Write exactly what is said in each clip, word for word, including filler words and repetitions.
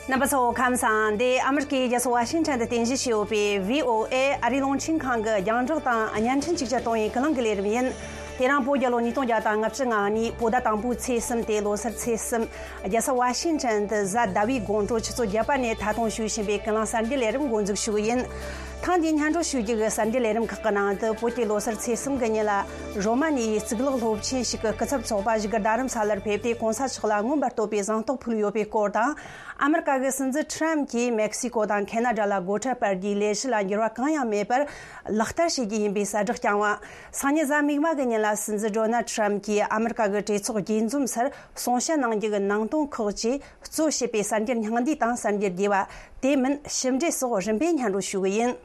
རྣམ་པ་ཚོ་ཁམས་བཟང་། འདི་ཨ་མི་རི་ཀའི་རྒྱལ་ས་ཝ་ཤིང་ཊོན་དུ་རྟེན་གཞི་བྱས་ཡོད་པའི་བྷི་ཨོ་ཨེ་ཨ་རིའི་རླུང་འཕྲིན་ཁང་གི་རྒྱང་བསྒྲགས་དང་བརྙན་འཕྲིན་ཅིག་ཅར་གཏོང་བའི་ཀུན་གླེང་གི་ལས་རིམ་ཡིན། དེ་རིང་བོད་རྒྱལ་ལོ་ཉིས་སྟོང་བརྒྱ་དང་ལྔ་བཅུ་ང་གཉིས་བོད་ཟླ་དང་པོའི་ཚེས་གསུམ་སྟེ་ལོ་སར་ཚེས་གསུམ། རྒྱལ་ས་ཝ་ཤིང་ཊོན་དུ་གཟའ་ཟླ་བའི་དགོང་དྲོ་ཆུ་ཚོད་བརྒྱད་པ་ནས་ད་དུང་ཞུ་བཞིན་པའི་ཀུན་གླེང་གསར་འགྱུར་ལས་རིམ་འགོ་འཛུགས་ཞུ་གི་ཡིན། ཐེངས་འདིའི་སྙན་སྒྲོན་ཞུ་རྒྱུ་གི་གསར་འགྱུར་ལས་རིམ་ཁག་གི་ནང་དུ། བོད་ཀྱི་ལོ་སར་ཚེས་གསུམ་གྱི་ཉིན་ལ་རོ་མ་ནི་ཡའི་གཙུག་ལག་སློབ་ཆེན་ཞིག་གི་སྐུ་ཚབ་ཚོགས་པ་བཞུགས་སྒར་རྡ་རམ་ས་ལར་ཕེབས་ཏེ། གོང་ས་མཆོག་ལ་མངོན་པར་བསྟོད་པའི་གཟེངས་རྟགས་ཕུལ་ཡོད་པའི་སྐོར་དང་། ཨ་མི་རི་ཀ་གི་སྲིད་འཛིན་ཁྲམ་གྱིས་མེག་སི་ཀོ་དང་ཁེ་ན་ཌ་ལ་སྒོ་ཁྲལ་སྤར་རྒྱུའི་ལས་གཞི་ལ་འགྱུར་བ་གང་ཡང་མེད་པར་ལག་བསྟར་བྱེད་རྒྱུ་ཡིན་པའི་གསལ་བསྒྲགས་བསྐྱངས་བ། སང་ཉིན་གཟའ་མིག་དམར་གྱི་ཉིན་ལ། སྲིད་འཛིན་ཌོ་ནལ་ཁྲམ་གྱིས་ཨ་མི་རི་ཀ་གི་གྲོས་ཚོགས་རྒྱས་འཛོམས་སར་གསུང་བཤད་གནང་རྒྱུ་གི་ནང་དོན་ཁག་ཅིག་གཙོ་བྱས་པའི་གསར་འགྱུར་སྙིང་བསྡུས་དང་གསར་འགྱུར་རྒྱས་པ། དེ་མིན་ཞིབ་འགྲེལ་སོགས་རིམ་པས་སྙན་སྒྲོན་ཞུ་གི་ཡིན།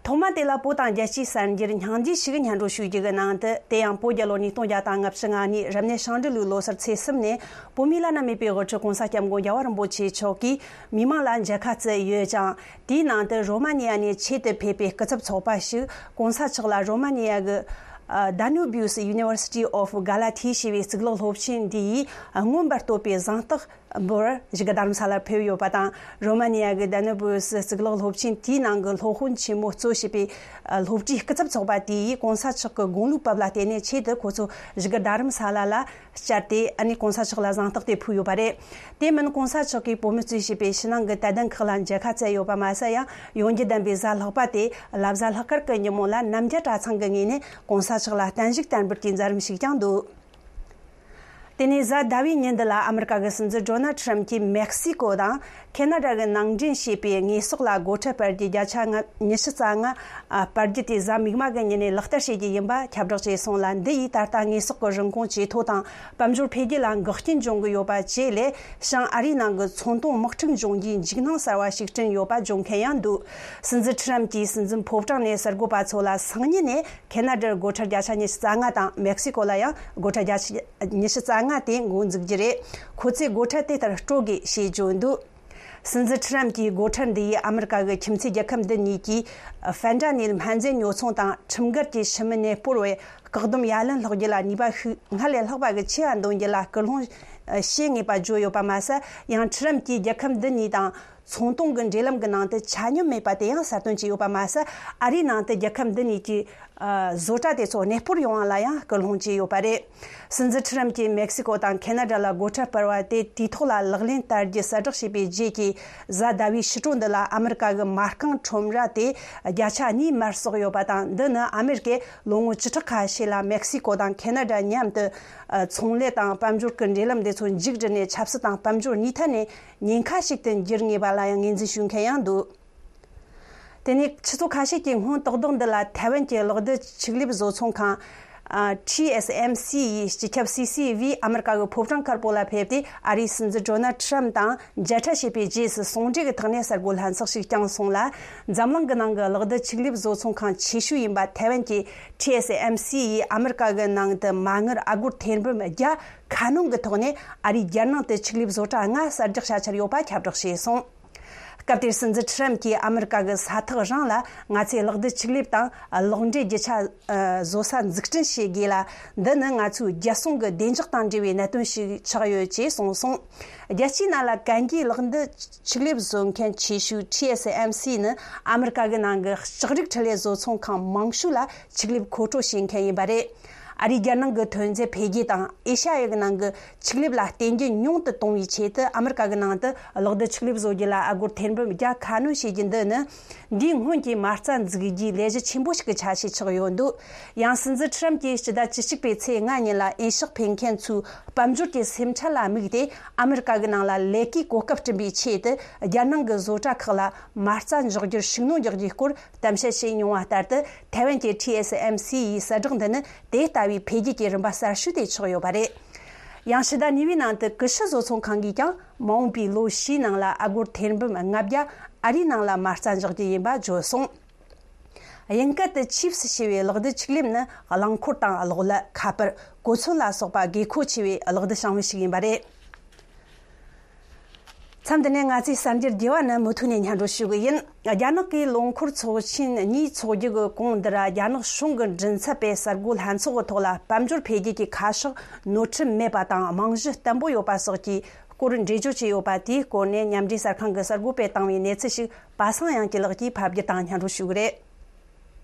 ཐོག་མ་དེ་ལ་བོད་དང་རྒྱལ་སྤྱིའི་གསར་འགྱུར་སྙིང་བསྡུས་ཤིག་སྙན་སྒྲོན་ཞུ་རྒྱུ་གི་ནང་དུ། དེ་ཡང་བོད་རྒྱལ་ལོ་ཉིས་སྟོང་བརྒྱ་དང་ལྔ་བཅུ་ང་གཉིས་རབ་གནས་ཤིང་འབྲས་ལོའི་ལོ་སར་ཚེས་གསུམ་ནས། བོད་མིའི་བླ་ན་མེད་པའི་དབུ་ཁྲིད་༸གོང་ས་༸སྐྱབས་མགོན་རྒྱལ་བ་རིན་པོ་ཆེ་མཆོག་གིས་མི་མང་ལ་མཇལ་ཁ་བསྩལ་ཡོད་ཅིང་། དེའི་ནང་དུ་རོ་མ་ནི་ཡ་ནས་ཆེད་དུ་ཕེབས་པའི་སྐུ་ཚབ་ཚོགས་པ་ཞིག་༸གོང་ས་མཆོག་ལ་རོ་མ་ནི་ཡ་གི་ཨ། Danubius University of Galati ཞེས་པའི་གཙུག་ལག་སློབ་ཆེན་འདི་ཡིས་མངོན་པར་བསྟོད་པའི་གཟེངས་རྟགས་འབུལ་བར་བཞུགས་སྒར་རྡ་རམ་ས་ལར་ཕེབས་ཡོད་པ་དང་། རོ་མ་ནི་ཡ་གི་Danubius གཙུག་ལག་སློབ་ཆེན་དེའི་ནང་གི་སློབ་དཔོན་ཆེན་མོ་གཙོ་བྱས་པའི་སློབ་གྲྭའི་སྐུ་ཚབ་ཚོགས་པ་དེ་ཡིས་༸གོང་ས་མཆོག་གི་དགུང་ལོའི་བབ་ལ་བརྟེན་ནས་ཆེད་དུ་ཁོ་ཚོ་བཞུགས་སྒར་རྡ་རམ་ས་ལ་ལ་བཅར་ཏེ། ཨ་ནི་༸གོང་ས་མཆོག་ལ་གཟེངས་རྟགས་དེ་ཕུལ་ཡོད་པ་རེད། དེ་མིན་༸གོང་ས་མཆོག་གིས་བོད་མི་གཙོས་བྱས་པའི་ཕྱི་ནང་གི་དད་ལྡན་ཁག་ལ་མཇལ་ཁ་བསྩལ་ཡོད་པ་མ་ཟད། ཡང་ཡོན་རྒྱུ་ལྡན་པའི་གཟའ་ལྷག་པ་སྟེ་བླ་གཟའ་ལྷག་དཀར་གྱི་ཉིན་མོ་ལ་རྣམ་རྒྱལ་གྲྭ་ཚང་གི་ངོས་ནས་༸གོང་ས་མཆོག་ལ་བརྟན་བཞུགས་དར་འབུལ་གྱི་མཛད་རིམ་ཞིག་ཀྱང་འདུག་དེ་ནས་གཟའ་ཟླ་བའི་ཉིན་འདི་ལ་ཨ་མི་རི་ཀ་གི་སྲིད་འཛིན་ཌོ་ནལ་ཁྲམ་གྱིས་མེག་སི་ཀོ་དང་ཁེ་ན་ཌ་གི་ནང་འདྲེན་བྱས་པའི་དངོས་ཟོག་ལ་སྒོ་ཁྲལ་སྤར་རྒྱུ་བརྒྱ་ཆ་ལྔ། ཉི་ཤུ་རྩ་ལྔ་སྤར་རྒྱུ་དེ་གཟའ་མིག་དམར་གྱི་ཉིན་ནས་ལག་བསྟར་བྱེད་རྒྱུ་ཡིན་པ་ཁྱབ་བསྒྲགས་བྱས་སོང་ལ། འདི་ཡིས་ད་ལྟ་དངོས་ཟོག་གི་རིན་གོང་ཇེ་མཐོ་དང་དཔལ་འབྱོར་འཕེལ་རྒྱས་ལ་འགག་རྐྱེན་འབྱུང་གི་ཡོད་པ་བཅས་ལས། བྱང་ཨ་རིའི་ནང་གི་ཚོང་དོན་དམག་འཁྲུག་འབྱུང་རྒྱུའི་འཇིགས་སྣང་གསར་བ་ཞིག་བསྐྲུན་ཡོད་པ་བརྗོད་མཁན་ཡང་འདུག་སྲིད་འཛིན་ཁྲམ་གྱིས་སྲིད་འཛིན་ཕོ་བྲང་ནས་གསར་འགོད་པ་ཚོ་ལ་སང་ཉིན་ནས་ཁེ་ན་ཌར་སྒོ་ཁྲལ་བརྒྱ་ཆ་ཉི་ཤུ་རྩ་ལྔ་དང་། མེག་སི་ཀོ་ལ་ཡང་སྒོ་ཁྲལ་བརྒྱ་ཆ་ཉི་ཤུ་རྩ་ལྔ་དེ་འགོ་འཛུགས་རྒྱུ་རེད། ཁོ་ཚོས་སྒོ་ཁྲལ་དེ་ལྟར་སྤྲོད་དགོས་ཞེས་བརྗོད་འདུག་སྲིད་འཛིན་ཁྲམ་གྱི་སྒོ་ཁྲལ་འདི་ཡིས་ཨ་མི་རི་ཀ་གི་ཁྱིམ་མཚེས་རྒྱལ་ཁབ་འདི་གཉིས་ཀྱིས་ཧྥེན་ཏྲ་ནིལ་སྨན་རྫས་ཉོ་ཚོང་དང་ཁྲིམས་འགལ་གྱི་ཕྱི་མི་གནས་སྤོར་བའི་བཀག་སྡོམ་ཡ་ལན་སློག་རྒྱུ་ལ་ནུས་པ་ཤུགས་སྔར་ལས་ལྷག་པ་གི་ཆེ་བ་འདོན་རྒྱུ་ལ་སྐུལ་སློང་བྱེད་ངེས་པ་བརྗོད་ཡོད་པ་མ་ཟད། ཡང་ཁྲམ་གྱིས་རྒྱལ་ཁབ་འདི་གཉིས་དང་ཚོང་དོན་གྱི་འབྲེལ་ལམ་གྱི་ནང་དུ་ཆ་སྙོམས་མེད་པ་དེ་ཡང་གསལ་སྟོན་བྱས་ཡོད་པ་མ་ཟད། ཨ་རིའི་ནང་དུ་རྒྱལ་ཁབ་འདི་གཉིས་ཀྱི་ཨ། བཟོ་གྲྭ་དེ་ཚོ་གནས་སྤོར་ཡོང་བ་ལ་ཡང་སྐུལ་སློང་བྱས་ཡོད་པ་རེད། སྲིད་འཛིན་ཁྲམ་གྱིས་མེག་སི་ཀོ་དང་ཁེ་ན་ཌ་ལ་སྒོ་ཁྲལ་སྤར་བ་དེ་དུས་ཐོག་ལ་ལག་ལེན་བསྟར་རྒྱུ་གསལ་བསྒྲགས་བྱས་པའི་རྗེས་ཀྱི་གཟའ་ཟླ་བའི་ཕྱི་དྲོ་འདི་ལ། ཨ་མི་རི་ཀ་གི་མ་རྐང་ཁྲོམ་ར་དེ་བརྒྱ་ཆ་གཉིས་མར་སོང་ཡོད་པ་དང་། འདི་ནི་ཨ་མི་རི་ཀས་ལོ་ངོ་བཅུ་ཕྲག་ཁ་ཤས་ལ་མེག་སི་ཀོ་དང་ཁེ་ན་ཌ་མཉམ་དུ་ཚོང་ལས་དང་དཔལ་འབྱོར་གྱི་འབྲེལ་ལམ་དེ་ཚོ་མཇུག་བསྒྲིལ་ནས། ཆབ་སྲིད་དང་དཔལ་འབྱོར་གཉིས་ཐད་ནས་ཉེན་ཁ་ཞིག་ཏུ་འགྱུར་ངེས་པ་ལ་ཡང་ངོས་འཛིན་ཞུ་མཁན་ཡང་འདུག་དེ་ནས་ཆུ་ཚོད་ཁ་ཤས་ཀྱི་སྔོན། ཏག་ཏག་འདི་ལ་ཐའེ་ཝན་གྱི་གློག་རྡུལ་ཆིག་ལེབ་བཟོ་ཚོང་ཁང་། ཨ། ཊི་ཨེས་ཨེམ་སི་ཡིས་སྤྱི་ཁྱབ་སི་སི་བྷི་ཨ་མི་རི་ཀ་གི་ཕོ་བྲང་དཀར་པོ་ལ་ཕེབས་ཏེ། ཨ་རིའི་སྲིད་འཛིན་ཌོ་ནལ་ཁྲམ་དང་མཇལ་འཕྲད་བྱས་པའི་རྗེས་སུ། ཟུང་འབྲེལ་གྱི་ཐོག་ནས་གསར་འགོད་ལྷན་ཚོགས་ཤིག་བསྐྱངས་སོང་ལ། འཛམ་གླིང་གི་ནང་གི་གློག་རྡུལ་ཆིག་ལེབ་བཟོ་ཚོང་ཁང་ཆེ་ཤོས་ཡིན་པ་ཐའེ་ཝན་གྱི་ཊི་ཨེས་ཨེམ་སི་ཡིས་ཨ་མི་རི་ཀ་གི་ནང་དུ་མ་དངུལ་ཨ་སྒོར་ཐེར་འབུམ་བརྒྱ་ཁ་སྣོན་གྱི་ཐོག་ནས། ཨ་རིའི་རྒྱལ་ནང་དུ་ཆིག་ལེབ་བཟོ་གྲྭ་ལྔ་གསར་རྒྱག་བྱ་འཆར་ཡོད་པ་ཁྱབ་བསྒྲགས་བྱས་སོང་། སྐབས་དེར་སྲིད་འཛིན་ཁྲམ་གྱིས། ཨ་མི་རི་ཀ་གི་ས་ཐག་རིང་ལ་ང་ཚོས་གློག་རྡུལ་ཆིག་ལེབ་དང་གློག་འདྲེན་རྒྱུ་ཆ་བཟོ་ས་འཛུགས་སྐྲུན་བྱེད་དགོས་ལ། འདི་ནི་ང་ཚོའི་རྒྱལ་སྲུང་གི་བདེ་འཇགས་དང་འབྲེལ་བའི་གནད་དོན་ཞིག་ཆགས་ཡོད་ཅེས་གསུངས་སོང་། རྒྱལ་སྤྱིའི་ནང་ལ་གན་རྒྱའི་གློག་རྡུལ་ཆིག་ལེབ་བཟོ་མཁན་ཆེ་ཤོས་ཊི་ཨེས་ཨེམ་སི་ནི་ཨ་མི་རི་ཀ་གི་ནང་གི་ལྕགས་རིགས་འཕྲུལ་ལས་བཟོ་ཚོང་ཁང་མང་ཤོས་ལ་ཆིག་ལེབ་མཁོ་སྤྲོད་བྱེད་མཁན་ཡིན་པ་རེད། ཨ་རིའི་རྒྱལ་ནང་གི་ཐོན་རྫས་འཕེལ་རྒྱས་དང་། ཨེ་ཤ་ཡ་གི་ནང་གི་ཆིག་ལེབ་ལ་བརྟེན་རྒྱུ་ཉུང་དུ་གཏོང་བའི་ཆེད་དུ། ཨ་མི་རི་ཀ་གི་ནང་དུ་གློག་རྡུལ་ཆིག་ལེབ་བཟོ་རྒྱུ་ལ་ཨ་སྒོར་ཐེར་འབུམ་བརྒྱ་ཁ་སྣོན་བྱེད་རྒྱུ་འདི་ནི། འདིའི་སྔོན་གྱི་མ་རྩ་འཛུགས་རྒྱུའི་ལས་གཞི་ཆེན་པོ་ཞིག་གི་ཆ་ཤས་ཆགས་ཡོད་འདུག་ཡང་སྲིད་འཛིན་ཁྲམ་གྱིས་སྤྱི་ཟླ་བཅུ་གཅིག་པའི་ཚེས་ལྔ་ཉིན་ལ་ཨེ་ཤག་ཕེབས་མཁན་ཚོའི་དཔལ་འབྱོར་གྱི་སེམས་ཁྲལ་ལ་དམིགས་ཏེ། ཨ་མི་རི་ཀ་གི་ནང་ལ་ལས་ཀའི་གོ་སྐབས་བསྐྲུན་པའི་ཆེད་དུ། རྒྱལ་ནང་གི་བཟོ་གྲྭ་ཁག་ལ་མ་རྩ་འཇོག་རྒྱུར་ཤུགས་སྣོན་རྒྱག་རྒྱུའི་སྐོར་གཏམ་བཤད་བྱས་མྱོང་བ་ལྟར་དུ། ཐའེ་ཝན་གྱི་ཊི་ཨེས་ཨེམ་སི་ཡི་གསལ་བསྒྲགས་འདི་ནི་དེ་ལྟ་བུའི་འཕེལ་རྒྱས་ཀྱི་རིམ་པ་གསར་ཤོས་དེ་ཆགས་ཡོད་པ་རེད། ཡང་ཕྱི་ཟླ་གཉིས་པའི་ནང་དུ་ཀུ་ཤུ་བཟོ་ཚོང་ཁང་གིས་ཀྱང་། མ་འོངས་པའི་ལོ་བཞིའི་ནང་ལ་ཨ་སྒོར་ཐེར་འབུམ་ལྔ་བརྒྱ་ཨ་རིའི་ནང་ལ་མ་རྩ་འཇོག་རྒྱུ་ཡིན་པ་བརྗོད་སོང་། དབྱིན་སྐད་དུ་ཆིབས་ཞེས་པའི་གློག་རྡུལ་ཆིག་ལེབ་ནི། རླངས་འཁོར་དང་གློག་ཀླད། ཁ་པར། གོ་མཚོན་ལ་སོགས་པ་དགོས་མཁོ་ཆེ་བའི་གློག་རྡུལ་བྱང་བུ་ཞིག་ཡིན་པ་རེད། མཚམས་འདི་ནས་ང་ཚོའི་གསར་འགྱུར་རྒྱས་པ་རྣམས་མུ་མཐུད་ནས་སྙན་སྒྲོན་ཞུ་གི་ཡིན། རྒྱ་ནག་གིས་ལོ་འཁོར་ཚོགས་ཆེན་གཉིས་འཚོགས་རྒྱུ་གི་གོང་འདིར། རྒྱ་ནག་གཞུང་གི་མགྲིན་ཚབ་པས་གསར་འགོད་ལྷན་ཚོགས་ཀྱི་ཐོག་ལ་དཔལ་འབྱོར་འཕེལ་རྒྱས་ཀྱི་ཁ་ཕྱོགས་ནོར་འཁྲུལ་མེད་པ་དང་རྨང་གཞི་བརྟན་པོ་ཡོད་པ་སོགས་ཀྱི་སྐོར་འགྲེལ་བརྗོད་བྱས་ཡོད་པ། དེའི་སྐོར་ནས་མཉམ་འབྲེལ་གསར་ཁང་གི་གསར་འགོད་པས་བཏང་བའི་གནས་ཚུལ་ཞིག་པ་སངས་དབྱངས་སྐྱིད་ལགས་ཀྱིས་ཕབ་བསྒྱུར་དང་སྙན་སྒྲོན་ཞུ་གི་རེད།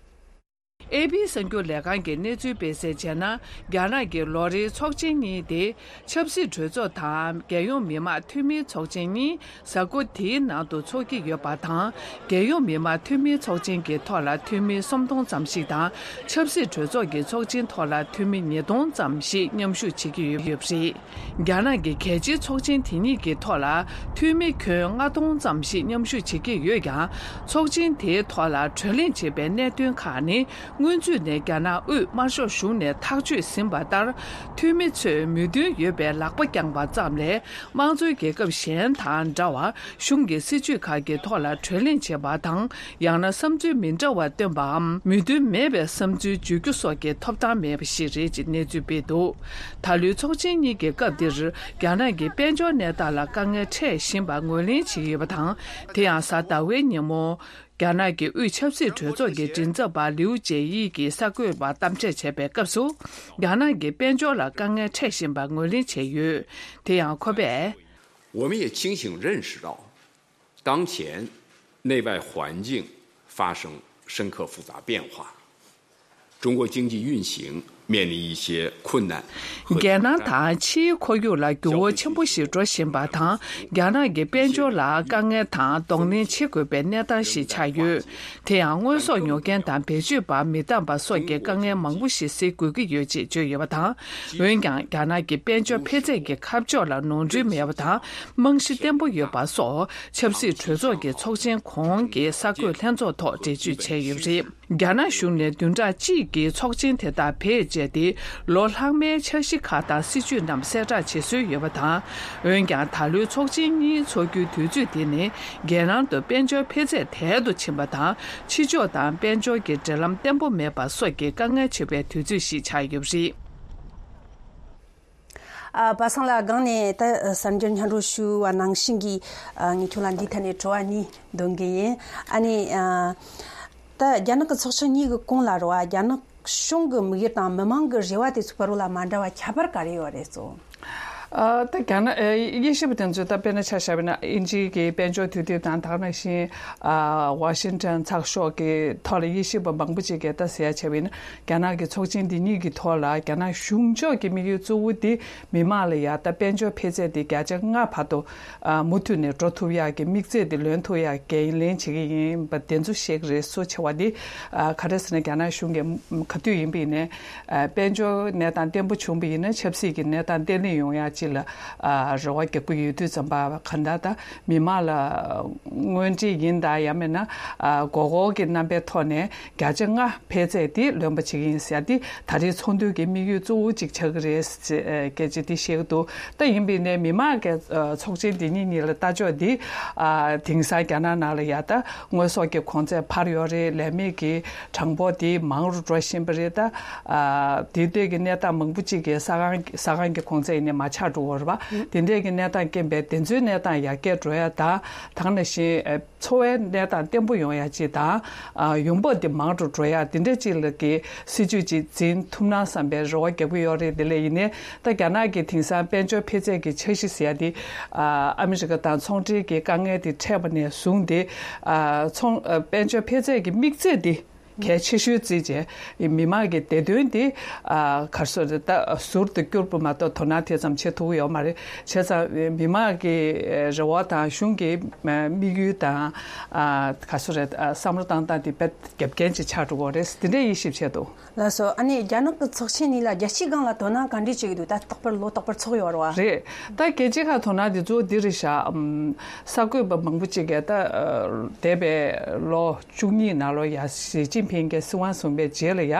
ཨེ་པི་གསར་འགྱུར་ལས་ཁང་གིས་གནས་ཚུལ་སྤེལ་གསལ་བྱས་ན། རྒྱ་ནག་གི་ལོ་རེའི་ཚོགས་ཆེན་གཉིས་ཏེ། ཆབ་སྲིད་གྲོས་ཚོགས་དང་རྒྱལ་ཡོངས་མི་དམངས་འཐུས་མིའི་ཚོགས་ཆེན་གཉིས་གཟའ་འཁོར་དེའི་ནང་དུ་འཚོགས་ཀྱི་ཡོད་པ་དང་། རྒྱལ་ཡོངས་མི་དམངས་འཐུས་མིའི་ཚོགས་ཆེན་གྱི་ཐོག་ལ་འཐུས་མི་སུམ་སྟོང་ཙམ་ཞིག་དང་། ཆབ་སྲིད་གྲོས་ཚོགས་ཀྱི་ཚོགས་ཆེན་ཐོག་ལ་འཐུས་མི་ཉིས་སྟོང་ཙམ་ཞིག་མཉམ་ཞུགས་བྱེད་ཀྱི་ཡོད་པ་རེད། རྒྱ་ནག་གི་གལ་ཆེའི་ཚོགས་ཆེན་དེ་གཉིས་ཀྱི་ཐོག་ལ་འཐུས་མི་ཁྱོན་ལྔ་སྟོང་ཙམ་ཞིག་མཉམ་ཞུགས་བྱེད་ཀྱི་ཡོད་ཀྱང་། ཚོགས་ཆེན་དེའི་ཐོག་ལ་གྲོས་གླེང་བྱེད་པའི་གནད་དོན་ཁག་ནི། སྔོན་ཚུད་ནས་རྒྱ་ནག་དབུས་དམར་ཤོག་གཞུང་ནས་ཐག་གཅོད་ཟིན་པ་ལྟར། འཐུས་མི་ཚོས་མོས་མཐུན་ཡོད་པའི་ལག་པ་བརྐྱངས་པ་ཙམ་ལས། དམངས་གཙོའི་རྒྱལ་ཁབ་གཞན་དང་འདྲ་བར། གཞུང་གི་སྲིད་ཇུས་ཁག་གི་ཐོག་ལ་གྲོས་གླེང་བྱེད་པ་དང་། ཡང་ན་བསམ་ཚུལ་མི་འདྲ་བ་བཏོན་པའམ། མོས་མཐུན་མེད་པའི་བསམ་ཚུལ་བརྗོད་རྒྱུ་སོགས་ཀྱི་ཐོབ་ཐང་མེད་པ་ཞིག་རེད་ཅེས་གནས་ཚུལ་སྤེལ་འདུག་ད་ལོའི་ཚོགས་ཆེན་གཉིས་ཀྱི་སྐབས་འདིར། རྒྱ་ནག་གི་དཔལ་འབྱོར་གནས་སྟངས་ལ་དཀའ་ངལ་འཕྲད་བཞིན་པ་ངོས་ལེན་བྱེད་ཀྱི་ཡོད་པ་དང་། དེ་ཡང་གཟའ་ཟླ་བའི་ཉིན་མོ། རྒྱ་ནག་གི་དབུས་ཆབ་སྲིད་གྲོས་ཚོགས་ཀྱི་མགྲིན་ཚབ་པ་ལིའུ་ཅེ་ཡི་གིས་གསར་འགོད་པར་གཏམ་བཤད་བྱས་པའི་སྐབས་སུ། རྒྱ་ནག་གི་དཔལ་འབྱོར་ལ་དཀའ་ངལ་འཕྲད་བཞིན་པ་ངོས་ལེན་བྱས་ཡོད། དེ་ཡང་ཁོ་པས། 我们也清醒认识到，当前内外环境发生深刻复杂变化，中国经济运行面临一些困难和挑战。 རྒྱལ་ནང་དང་ཕྱིའི་ཁོར་ཡུག་ལ་འགྱུར་བ་ཆེན་པོ་ཞིག་འགྲོ་བཞིན་པ་དང་། རྒྱ་ནག་གི་དཔལ་འབྱོར་ལ་དཀའ་ངལ་དང་གདོང་ལེན་བྱེད་དགོས་པའི་གནས་སྟངས་ཤིག་ཆགས་ཡོད། དེ་ཡང་དངོས་ཟོག་ཉོ་མཁན་དང་བེད་སྤྱོད་པ་མི་འདང་པ་སོགས་ཀྱི་དཀའ་ངལ་མང་པོ་ཞིག་སེལ་དགོས་ཀྱི་ཡོད་ཅེས་བརྗོད་ཡོད་པ་དང་། འོན་ཀྱང་རྒྱ་ནག་གི་དཔལ་འབྱོར་འཕེལ་ཚད་ཀྱི་ཁ་ཕྱོགས་ལ་ནོར་འཁྲུལ་མེད་པ་དང་། རྨང་གཞི་བརྟན་པོ་ཡོད་པ་སོགས་ཆབ་སྲིད་གྲོས་ཚོགས་ཀྱི་ཚོགས་ཆེན་གོང་གི་གསར་འགོད་ལྷན་ཚོགས་ཐོག་འགྲེལ་བརྗོད་བྱས་ཡོད་པ་རེད། རྒྱ་ནག་གཞུང་ནས་བདུན་ཕྲག་གཅིག་གི་ཚོགས་ཆེན་དེ་དག་བེད་སྤྱད་དེ། ལོ་ལྷག་མའི་འཆར་གཞི་ཁག་དང་སྲིད་ཇུས་རྣམས་གསལ་བསྒྲགས་བྱེད་སྲོལ་ཡོད་པ་དང་། འོན་ཀྱང་ད་ལོའི་ཚོགས་ཆེན་གཉིས་འཚོགས་རྒྱུའི་དུས་ཚོད་དེ་ནི། རྒྱལ་ནང་དུ་དཔལ་འབྱོར་འཕེལ་ཚད་དལ་དུ་ཕྱིན་པ་དང་། ཕྱི་ཕྱོགས་དང་དཔལ་འབྱོར་གྱི་འབྲེལ་ལམ་བརྟན་པོ་མེད་པ་སོགས་ཀྱི་དཀའ་ངལ་ཆེ་བའི་དུས་ཚོད་ཞིག་ཆགས་ཡོད་པ་རེད། ཨ། པ་སངས་ལགས། སྒང་ནས་ད་གསར་འགྱུར་སྙན་སྒྲོན་ཞུ་བ་ནང་བཞིན་གྱི། ཨ། ངས་ཁྱོད་ལ་འདིའི་ཐད་ནས་དྲི་བ་གཉིས་འདོན་གི་ཡིན། ཨ་ནི། ཨ། ད་རྒྱ་ནག་གི་ཚོགས་ཆེན་གཉིས་ཀྱི་གོང་ལ་རེད་བ། རྒྱ་ནག་གཞུང་གི་དམིགས་ཡུལ་དང་མི་མང་གི་རེ་བ་དེ་ཚོའི་བར་ལ་མ་འདྲ་བ་ཁྱད་པར་ག་རེ་ཡོད་རེད་ཚོ། ཨ། ད་རྒྱ་ནག་ཨ། དབྱེ་ཞིབ་པ་དེ་ཚོས་ད་དཔེར་ན་ཆ་བཞག་པ་ན་དབྱིན་ཇི་གི་དཔལ་འབྱོར་དུས་དེབ་དང་། ད་ག་ནང་བཞིན། ཨ། ཝ་ཤིང་ཊོན་ཚགས་ཤོག་གི་ཐོག་ལ་དབྱེ་ཞིབ་པ་མང་པོ་ཅིག་གིས་ད་ཟེར་ཡ་བྱས་པ་ཡིན་ན། རྒྱ་ནག་གི་ཚོགས་ཆེན་འདི་གཉིས་ཀྱི་ཐོག་ལ་རྒྱ་ནག་གཞུང་ཕྱོགས་ཀྱི་དམིགས་ཡུལ་གཙོ་བོ་དེ་མི་མང་ལ་ཡ་ད་དཔལ་འབྱོར་འཕེལ་ཚད་དེ་བརྒྱ་ཆ་ལྔ་བར་དུ། ཨ། མུ་མཐུད་ནས་འགྲོ་ཐུབ་ཡག་གི་དམིགས་ཚད་དེ་ལོན་ཐུབ་ཡག་འགན་ལེན་བྱེད་ཀྱི་ཡིན་པ་དེ་ཚོ་བཤད་ཀྱི་རེད། གཙོ་ཆེ་བ་དེ། ཨ། ག་རེ་ཟེར་ན། རྒྱ་ནག་གཞུང་གིས་ག་དུས་ཡིན་པ་ཡིན་ནའི། ཨ། དཔལ་འབྱོར་གནས་སྟངས་བརྟན་པོ་བྱུང་བ་ཡིན་ན་ཆབ་སྲིད་ཀྱི་གནས་སྟངས་བརྟན་ལྷིང་ཡོང་ཡག་ཅིག་ལ། ཨ། རེ་བ་རྒྱག་གི་ཡོད་དུས་ཙམ་པ། གང་ལྟར་ད་མི་མང་ལ་དངོས་འབྲེལ་ཡིན་དང་། ཡང་མིན་ན། ཨ། མགོ་སྐོར་གྱི་རྣམ་པའི་ཐོག་ནས་བརྒྱ་ཆ་ལྔ་འཕེལ་ཚད་དེ་ལོན་པ་བྱེད་ཀྱི་ཡིན་ཟེར་ཡ་དེ་ད་རེས་ཚོགས་འདུ་གི་དམིགས་ཡུལ་གཙོ་བོ་གཅིག་ཆགས་ཀྱི་རེད་ཟེར། ཨ། སྐད་ཆ་དེ་བཤད་ཀྱི་འདུག་ད་ཡིན་པ་ཡིན་ནའི་མི་མང་གི། ཨ། ཚོགས་ཆེན་འདི་གཉིས་གཉིས་ལ་ལྟ་ཕྱོགས་འདི། ཨ། དེང་སང་རྒྱ་ནག་ནང་ལ་ཡ་ད་དངོས་ཟོག་གི་གོང་ཚད་འཕར་ཡོད་རེད། ལས་མེད་ཀྱི་གྲངས་འབོར་དེ་མང་རུ་འགྲོ་བཞིན་པ་རེད། ད། ཨ། དེ་ལྟོས་ཀྱི་གནས་སྟངས་མང་པོ་ཅིག་གིས་ས་ཁང་། ཟ་ཁང་གི་གོང་ཚད་ཡིན་ནའི་མར་ཆག་འགྲོ་གི་ཡོད་རེད་པ། དེ་འདྲས་ཀྱི་གནས་སྟངས་རྐྱེན་པས་དེ་ཚོའི་གནས་སྟངས་ཡར་རྒྱས་འགྲོ་ཡ་དང་། ད་ག་ནང་བཞིན། ཨ། འཚོ་བའི་གནས་སྟངས་བརྟན་པོ་ཡོང་ཡ་ཅིག་དང་། ཨ། ཡོང་འབབ་དེ་མང་དུ་འགྲོ་ཡ་དེ་འདྲ་ཅིག་ལ་གི་སྲིད་ཇུས་ཅིག་འཛིན་ཐུབ་ན་བསམ་པའི་རེ་བ་རྒྱག་གི་ཡོད་རེད། དེ་ལས་ཡིན་ནའི་ད་རྒྱ་ནག་གི་དེང་སང་དཔལ་འབྱོར་འཕེལ་ཚད་ཀྱི་འཆར་གཞི་ཟེར་ཡ་དེ། ཨ། ཨ་མི་རི་ཀ་དང་ཚོང་འབྲེལ་གྱི་དཀའ་ངལ་དེ་འཕྲད་པ་ནས་བཟུང་སྟེ། ཨ། ཚོང་། ཨ། དཔལ་འབྱོར་འཕེལ་ཚད་ཀྱི་དམིགས་ཚད་དེ་གལ་ཆེ་ཤོས་བརྩིས་བྱས། མི་མང་གི་བདེ་དོན་དེ། ཨ། ག་རེ་ཟེར། ད་ཟུར་དུ་བསྐྱུར་བ་མ་གཏོགས་དོ་སྣང་དེ་ཙམ་བྱེད་ཐུབ་ཀྱི་ཡོད་མ་རེད། བྱས་ཙང་མི་མང་གི་རེ་བ་དང་གཞུང་གི་དམིགས་ཡུལ་དང་། ཨ། ག་རེ་ཟེར། བསམ་བློ་བཏང་སྟངས་དེ་དཔེ་རྒྱབ་རྐྱེན་ཅིག་ཆགས་འགྲོ་གི་རེད། དེ་འདྲའི་དབྱེ་ཞིབ་བྱས་འདུག་ལགས་སོ། ཨ་ནི་རྒྱ་ནག་གི་ཚོགས་ཆེན་གཉིས་ལ་རྒྱལ་སྤྱིའི་སྒང་ལ་དོ་སྣང་ག་འདྲས་བྱེད་ཀྱི་འདུག་ད་རྟག་པར་ལོ་རྟག་པར་ཚོགས་ཡོད་རེད་བ། རེད། ད་རྒྱལ་སྤྱིའི་ཁ་དོ་སྣང་དེ་གཙོ་བོ་འདི་རེད་ཤག་ཨམ། གསར་འགོད་པ་མང་པོ་ཅིག་གིས་ད། ཨ། འདས་པའི་ལོ་བཅུ་གཉིས་ནང་ལོགས་ཡ་ཞི་ཅིན་ ཕིང་གིས་སྲིད་དབང་བཟུང་བའི་རྗེས་ལ་ཡ།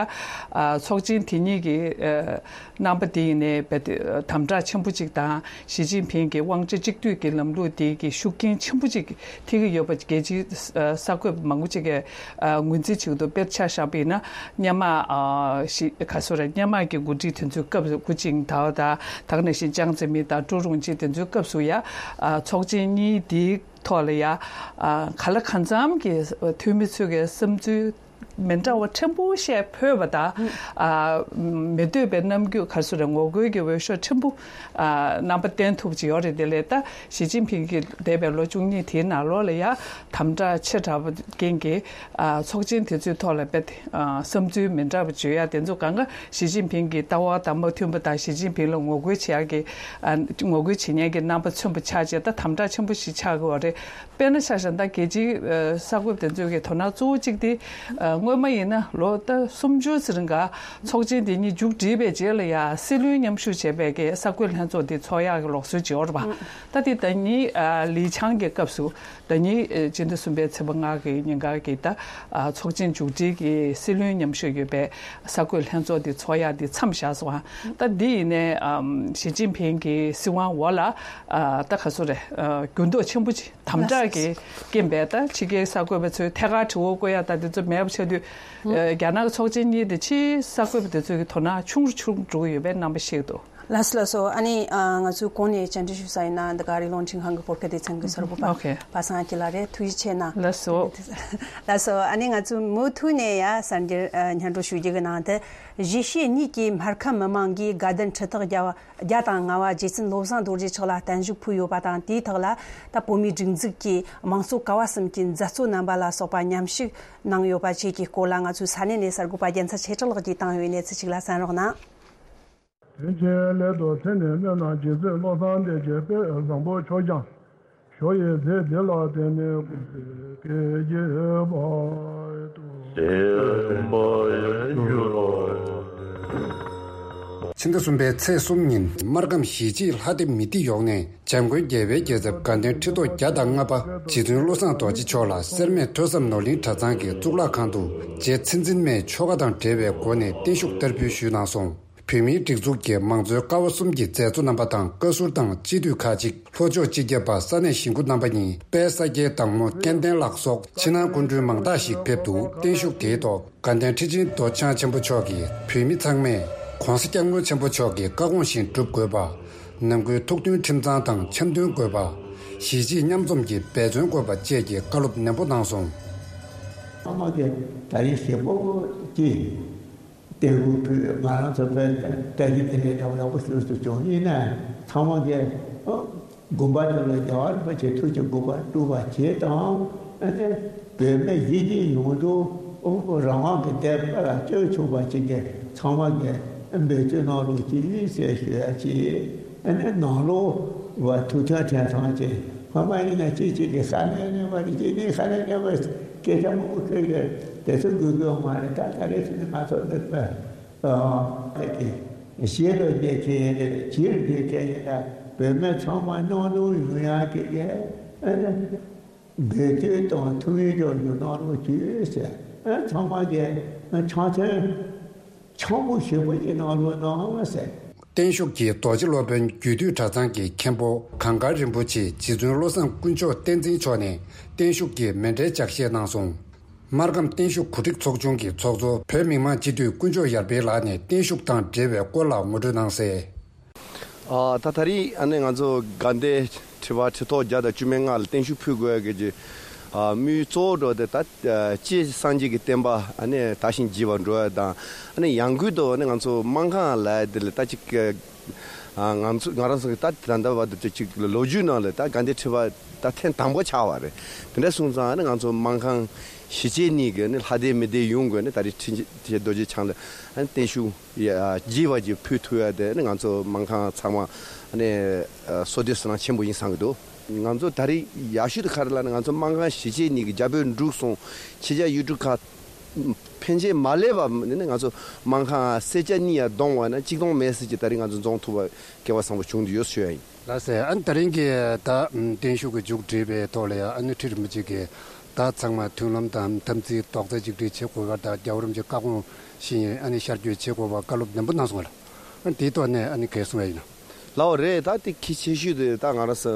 ཨ་ཚོགས་ཆེན་དེ་ཉིད་ཀྱི་ཨ་རྣམ་པ་དེ་ཡིན་ནའི་རྦད་དེ་དམ་དྲག་ཆེན་པོ་ཅིག་དང་། ཞི་ཅིན་ཕིང་གི་དབང་ཆ་གཅིག་སྡུད་ཀྱི་ལམ་ལུགས་དེ་གི་ཤུགས་རྐྱེན་ཆེན་པོ་ཅིག་ཐེབས་ཀྱི་ཡོད་པ་རྒྱལ་སྤྱིའི་ཨ་གསར་འགོད་པ་མང་པོ་ཅིག་གིས་ཨ་ངོས་འཛིན་བྱེད་ཀྱི་འདུག་དཔེར་ཆ་བཞག་པ་ཡིན་ན། སྔོན་མ་ཨ་ཞི་ག་སོ་རེད། སྔོན་མ་གི་འགོ་ཁྲིད་དེ་ཚོའི་སྐབས་སུ་ཧུའུ་ཅིན་ཐའོ་དང་། ད་ག་ནང་བཞིན་ཅང་ཙེ་མིན་དང་ཀྲུའུ་རུང་ཅིན་དེ་ཚོའི་སྐབས་སུ་ཡ། ཨ་ཚོགས་ཆེན་གཉིས་དེའི་ཐོག་ལ་ཡ། ཨ་གང་ལ་གང་འཚམ་གྱི་འཐུས་མི་ཚོས་ཀྱི་བསམ་ཚུལ་མི་འདྲ་བ་ཕྲན་བུ་བཤད་ཕོད་པ་དང་། ཨ་མི་འདོད་པའི་རྣམ་འགྱུར་ག་སོ་རེད། ངོ་རྒོལ་གྱི་འོས་ཤོག་ཕྲན་བུ་ཨ་རྣམ་པ་བསྟན་ཐུབ་ཀྱི་ཡོད་རེད། དེ་ལས་ད་ཞི་ཅིན་ཕིང་གིས་འདས་པའི་ལོ་བཅུ་གཉིས་དེའི་ནང་ལོགས་ལ་ཡ་དམ་དྲག་ཆེ་དྲགས་པ་རྐྱེན་གྱིས། ཨ་ཚོགས་ཆེན་དེ་ཚོའི་ཐོག་ལ་རྦད་དེ་ཨ་བསམ་ཚུལ་མི་འདྲ་བ་བརྗོད་ཡ་དེ་ཚོ་གང་ག་ཞི་ཅིན་ཕིང་གི་ལྟ་བ་དང་མ་མཐུན་པ་དང་། ཞི་ཅིན་ཕིང་ལ་ངོ་རྒོལ་བྱེད་ཡ་གི་ཨ་ངོ་རྒོལ་བྱེད་མཁན་གྱི་རྣམ་པ་མཚོན་པ་ཆགས་བྱས། ད་དམ་དྲག་ཆེན་པོ་ཞིག་ཆགས་ཀྱི་ཡོད་རེད། དཔེར་ན་ཆ་བཞག་ན་ད་རྒྱལ་སྤྱིའི་ཨ་གསར་འགོད་པ་དེ་ཚོའི་གི་དོ་སྣང་གཙོ་བོ་གཅིག་དེ་ཨ་སྔོན་མ་ཡིན་ན་ལོ་ད་སུམ་ཅུ་ཙམ་རིང་ག་ཚོགས་ཆེན་དེ་གཉིས་མཇུག་བསྒྲིལ་བའི་རྗེས་ལ་ཡ་སྲིད་བློན་མཉམ་ཞུགས་བྱས་པའི་གི་གསར་འགོད་ལྷན་ཚོགས་དེ་ཚོགས་ཡག་གི་ལུགས་སྲོལ་ཅིག་ཡོད་རེད་པ། ད་དེ་ཟླ་ཉིན་ཨ་ལི་ཆང་གི་སྐབས་སུ། ཟླ་ཉིན་ཨ་སྤྱི་ཟླ་གསུམ་པའི་ཚེས་པ་ལྔ་གི་ཉིན་ཀ་གི་ད་ཨ་ཚོགས་ཆེན་མཇུག་སྒྲིལ་གྱི་སྲིད་བློན་མཉམ་ཞུགས་ཡོད་པའི་གསར་འགོད་ལྷན་ཚོགས་དེ་ཚོགས་ཡག་དེ་མཚམས་བཞག་སོང་། ཨ་ད་འདི་ཡིན་ནའི་ཨམ་ཞི་ཅིན་ཕིང་གི་སྲིད་དབང་འོག་ལ་ཨ་ད་ག་སོ་རེད། ཨ་འགྱུར་ལྡོག་ཆེན་པོ་ཅིག་དམ་དྲག་གི་རྐྱེན་པས། ད་ཕྱི་རྒྱལ་གསར་འགོད་པ་ཚོས་ཐད་ཀར་དྲི་བ་བཀོད་ཡ་ད་དེ་ཚོ་མེད་པ་ཆགས་དུས། ཨ་རྒྱ་ནག་གི་ཚོགས་ཆེན་གཉིས་དེ་ཕྱིའི་གསར་འགོད་པ་དེ་ཚོའི་གི་དོ་སྣང་ཆུང་རུ་ཆུང་རུ་འགྲོ་གི་ཡོད་པའི་རྣམ་པ་ཤེས་ཀྱི་འདུག་ལགས་སོ། ལགས་སོ། ཨ་ནི་ཨ་ང་ཚོའི་གོང་ནས་བཅར་འདྲི་ཞུས་ས་ཡིན་ན། འདི་ག་རི་ལུང་ཁྲིན་ཁང་གི་བོད་སྐད་སྡེ་ཚན་གྱི་གསར་འགོད་པ། ཨོ་ཁེ། པ་སངས་སྐྱིད་ལགས་རེད། ཐུགས་རྗེ་ཆེ་གནང་། ལགས་སོ། ལགས་སོ། ཨ་ནི་ང་ཚོས་མུ་མཐུད་ནས་ཡ་གསར་འགྱུར་ཨ་སྙན་སྒྲོན་ཞུ་རྒྱུ་གི་ནང་དུ། གཞིས་བྱེས་གཉིས་ཀྱི་སྨར་ཁམས་མི་མང་གིས་དགའ་ལྡན་ཁྲི་ཐོག་བརྒྱ་བ་བརྒྱ་དང་ལྔ་བ་རྗེ་བཙུན་བློ་བཟང་རྡོ་རྗེ་མཆོག་ལ་བརྟན་བཞུགས་ཕུལ་ཡོད་པ་དང་། དེའི་ཐོག་ལ་ད་བོད་མིའི་སྒྲིག་འཛུགས་ཀྱི་དམངས་གཙོ་ཀ་བ་གསུམ་གྱི་མཛད་གཙོ་རྣམ་པ་ལ་སོགས་པ་མཉམ་ཞུགས་གནང་ཡོད་པ་བཅས་ཀྱི་སྐོར་ལ། ང་ཚོའི་ས་གནས་ནས་གསར་འགོད་པ་རྒྱལ་མཚན་ཆོས་གྲགས་ལགས་ཀྱིས་བཏང་ཡོད་གནས་ཚུལ་ཞིག་ལ་གསན་རོགས་གནང་། དོན་ཆེན་སླད་དུ་མཚན་ནས་སྨོན་ལམ་རྗེ་བཙུན་བློ་བཟང་ལྡན་གྱི་དཔལ་བཟང་པོ་མཆོག་ཀྱང་ཞུ་ཡི་མཛད་འདི་ལ་བརྟེན་ནས་ཀུན་གཟིགས་སྐལ་བརྒྱད་པ་དང་། ཕྱི་ཟླ་གསུམ་པའི་ཚེས་གསུམ་ཉིན་སྨར་ཁམས་གཞིས་བྱེས་ལྷ་སྡེ་མི་སྡེ་ཡོངས་ནས་འཇམ་མགོན་རྒྱལ་བའི་རྒྱལ་ཚབ་དགའ་ལྡན་ཁྲི་ཐོག་བརྒྱ་དང་ལྔ་པ་རྗེ་བཙུན་བློ་བཟང་རྡོ་རྗེ་མཆོག་ལ་སེར་སྨད་ཐོས་བསམ་ནོར་གླིང་གྲྭ་ཚང་གི་གཙུག་ལག་ཁང་དུ་རྗེ་མཚན་འཛིན་མའི་ཆོ་ག་དང་འབྲེལ་བའི་སྒོ་ནས་བརྟན་བཞུགས་བསྟར་འབུལ་ཞུས་གནང་སོང་། བོད་མིའི་སྒྲིག་འཛུགས་ཀྱི་མང་གཙོའི་ཀ་བ་གསུམ་གྱི་མཛད་གཙོ་རྣམ་པ་དང་། བཀའ་ཟུར་དང་སྤྱི་འཐུས་ཁག་ཅིག་ལྷོ་ཕྱོགས་སྤྱི་ཁྱབ་པ་ས་གནས་གཞིས་འགོ་རྣམ་པ་གཉིས། དཔལ་ས་སྐྱའི་བདག་མོ་སྐལ་ལྡན་ལགས་སོགས་ཕྱི་ནང་སྐུ་མགྲོན་མང་དག་ཞིག་ཕེབས་འདུག་བརྟན་བཞུགས་དེའི་ཐོག་དགའ་ལྡན་ཁྲི་ཆེན་རྡོ་རྗེ་འཆང་ཆེན་པོ་མཆོག་གིས་བོད་མི་ཚང་མས་ྋགོང་ས་ྋསྐྱབས་མགོན་ཆེན་པོ་མཆོག་གི་བཀའ་དགོངས་བཞིན་སྒྲུབ་དགོས་པ། ནང་ཁུལ་ཐུགས་མཐུན་ཁྲིམས་གཙང་དང་འཆམ་མཐུན་དགོས་པ། གཞིས་བྱེས་མཉམ་འཛོམས་ཀྱི་འབད་བརྩོན་དགོས་པ་བཅས་ཀྱི་བཀའ་སློབ་ནན་པོ་གནང་སོང་། ཚང་མ་གིས་ད་རེས་ཞེ་པོ་ཅིག་བརྟན་བཞུགས་ཕུལ། ང་རང་ཚོ་བོད་བཀྲ་ཤིས་བདེ་ལེགས་འདྲ་བོ་ཡག་པོ་ཞིག་ཏུ་བྱུང་ཡིན་ན། ཚང་མ་གིས་ཨ་དགོན་པ་དེ་ལ་རྒྱལ་བ་རིན་པོ་ཆེ་ཐུགས་ཀྱི་དགོངས་པ་སྒྲུབ་པ་བྱེད་དང་། ཨ་ནི་བོད་མི་གཞིས་བྱེས་ཡོངས་རྫོགས་རང་དབང་གི་བདེ་བླག་སྤྱོད་ཆོག་པ་ཅིག་གི་ཚང་མ་གིས་འབད་བརྩོན་གནང་རོགས་གྱིས་ཟེར་ཞུ་ཡ་ཅིག་ཨ་ནི་ནང་ལོགས་བ་ཐུགས་མཐུན་ཁྲིམས་གཙང་ཅིག་སྔོན་མ་ཡིན་ན་གཅིག་གཅིག་གིས་ས་གནས་གནས་པ་རེད། གཅིག་ནས་ས་གནས་གནས་པ་སྐད་ཆ་མང་པོ་བཤད་ཀྱི་དེ་ཚོ་དགོས་ཀྱི་ཡོད་མ་རེད། ད་ད་རེས་ཕྱིན་ནས་ང་ཚོ་འདི་ཨ་ཞེ་ལོ་རྒྱལ་ཁྱེད་ཡིན་རེད། ཕྱིར་རྒྱལ་ཁྱེད་ཡིན་ན་བོད་མི་ཚང་མ་མཉམ་དུ་ཡོང་ཡག་གི་ཨ་ནི་འབད་བརྩོན་དང་ཐུགས་སྨོན་རྒྱག་རྒྱུ་གནང་རོགས་བྱོས་ཟེར། ཨ་ཚང་མ་གིས་འཆམ་མཐུན་འཆམ་པོ་ཞེ་པོ་ཅིག་གནང་རོགས་གནང་ཟེར། བརྟན་བཞུགས་ཀྱིས་རྡོ་རྗེ་སློབ་དཔོན་རྒྱུད་སྟོད་གྲྭ་ཚང་གི་མཁན་པོ་གངས་དཀར་རིན་པོ་ཆེ་རྗེ་བཙུན་བློ་བཟང་དཀོན་མཆོག་བསྟན་འཛིན་མཆོག་ནས་བརྟན་བཞུགས་ཀྱི་མཎྜལ་ལྗགས་བཤད་གནང་སོང་། སྨར་ཁམས་བརྟན་བཞུགས་གོ་སྒྲིག་ཚོགས་ཆུང་གི་ཚོགས་གཙོ་བོད་མི་མང་སྤྱི་འཐུས་དཀོན་མཆོག་ཡར་འཕེལ་ལགས་ནས་བརྟན་བཞུགས་དང་འབྲེལ་བའི་སྐོར་ལ་ངོ་སྤྲོད་གནང་གསལ། ཨ་ད་ད་རེས་ཨ་ནི་ང་ཚོ་དགའ་ལྡན་ཁྲི་པ་ཁྲི་ཐོག་བརྒྱ་དང་བཅུ་མེད་ལྔ་ལ་བརྟན་བཞུགས་ཕུལ་དགོས་ཡ་གི་ཨ་དམིགས་ཡུལ་གཙོ་བོ་འགྲོ་དེ་ད་ཨ་སྤྱིར་སངས་རྒྱས་ཀྱི་བསྟན་པ་ཨ་ནི་དར་ཞིང་རྒྱས་པར་འགྲོ་ཡ་དང་། ཨ་ནི་ཡང་སྒོས་དུ་ཨ་ནི་ང་ཚོ་སྨར་ཁམས་ལ་དེ་ལ་ད་ཅིག་ཨ་ང་ཚོ་ང་རང་ཚོ་གི་ད་ད་ལྟ་བར་དུ་ཅིག་ལོ་རྒྱུས་ནང་ལ་ད་དགའ་ལྡན་ཁྲི་པ་ད་ཐེངས་དང་པོ་ཆགས་པ་རེད། དེ་འདྲ་སོང་ཙང་ཨ་ནི་ང་ཚོ་སྨར་ཁམས་གཞིས་བྱེས་གཉིས་ཀྱི་ཨ་ནི་ལྷ་སྡེ་མི་སྡེ་ཡོངས་ཀྱིས་ཨ་ནི་ད་རེས་ཁྲི་ཆེན་རྡོ་རྗེ་འཆང་ལ་ཨ་ནི་བརྟན་བཞུགས་ཡ་རྒྱས་པ་ཅིག་ཕུལ་ཐུབ་ཡ་དེ་ནི་ང་ཚོ་སྨར་ཁམས་ཚང་མ་ནས་བསོད་བདེ་བསོད་ནམས་ཆེན་པོ་ཡིན་བསམ་གྱི་འདུག་ང་ཚོ་ད་རེས་ཡག་ཤོས་དེ་ག་རེ་ལབ་ན། ང་ཚོ་སྨར་ཁམས་གཞིས་བྱེས་གཉིས་ཀྱི་རྒྱ་བོད་འབྲུག་གསུམ་ཕྱི་རྒྱལ་ཡུལ་གྲུ་ཁག་ཕན་ཆད་མ་སླེབས་པ་ནི་ང་ཚོ་སྨར་ཁམས་སེར་སྐྱ་གཉིས་ཡར་བསྡོམས་པ་ན་གཅིག་སྟོང་མེད་ཟེར་གྱི་ད་རེས་ང་ཚོ་འཛོམས་ཐུབ་པ་སྐལ་བ་བཟང་པོ་བྱུང་འདུག་ཡོད་ཞུ་ཡ་ཡིན། ལགས་སེ། ཨ་ནི་ད་རིང་གི་ད་བརྟན་བཞུགས་ཀྱི་མཇུག་སྒྲིལ་བའི་ཐོག་ལ་ཡང་ཨ་ནི་ཁྲི་རིན་པོ་ཆེ་གིས་ ད་ཚང་མ་མཐུན་ལམ་དང་དམ་ཚིག་རྡོག་རྩ་གཅིག་སྒྲིལ་བྱེད་དགོས་པ་དང་། རྒྱལ་བ་རིན་པོ་ཆེའི་བཀའ་དགོངས་བཞིན་ཨ་ནི་ཤར་བསྐྱོད་བྱེད་དགོས་པ་བཀའ་སློབ་ནན་པོ་གནང་སོང་བ་ལ། ཨ་ནི་དེའི་ཐོག་ནས་ཨ་ནི་གལ་གསུང་བ་ཡིན་ན། ལའོ་རེད། ད་དེ་གལ་ཆེ་ཤོས་དེ་ད་ང་རང་ཚོ་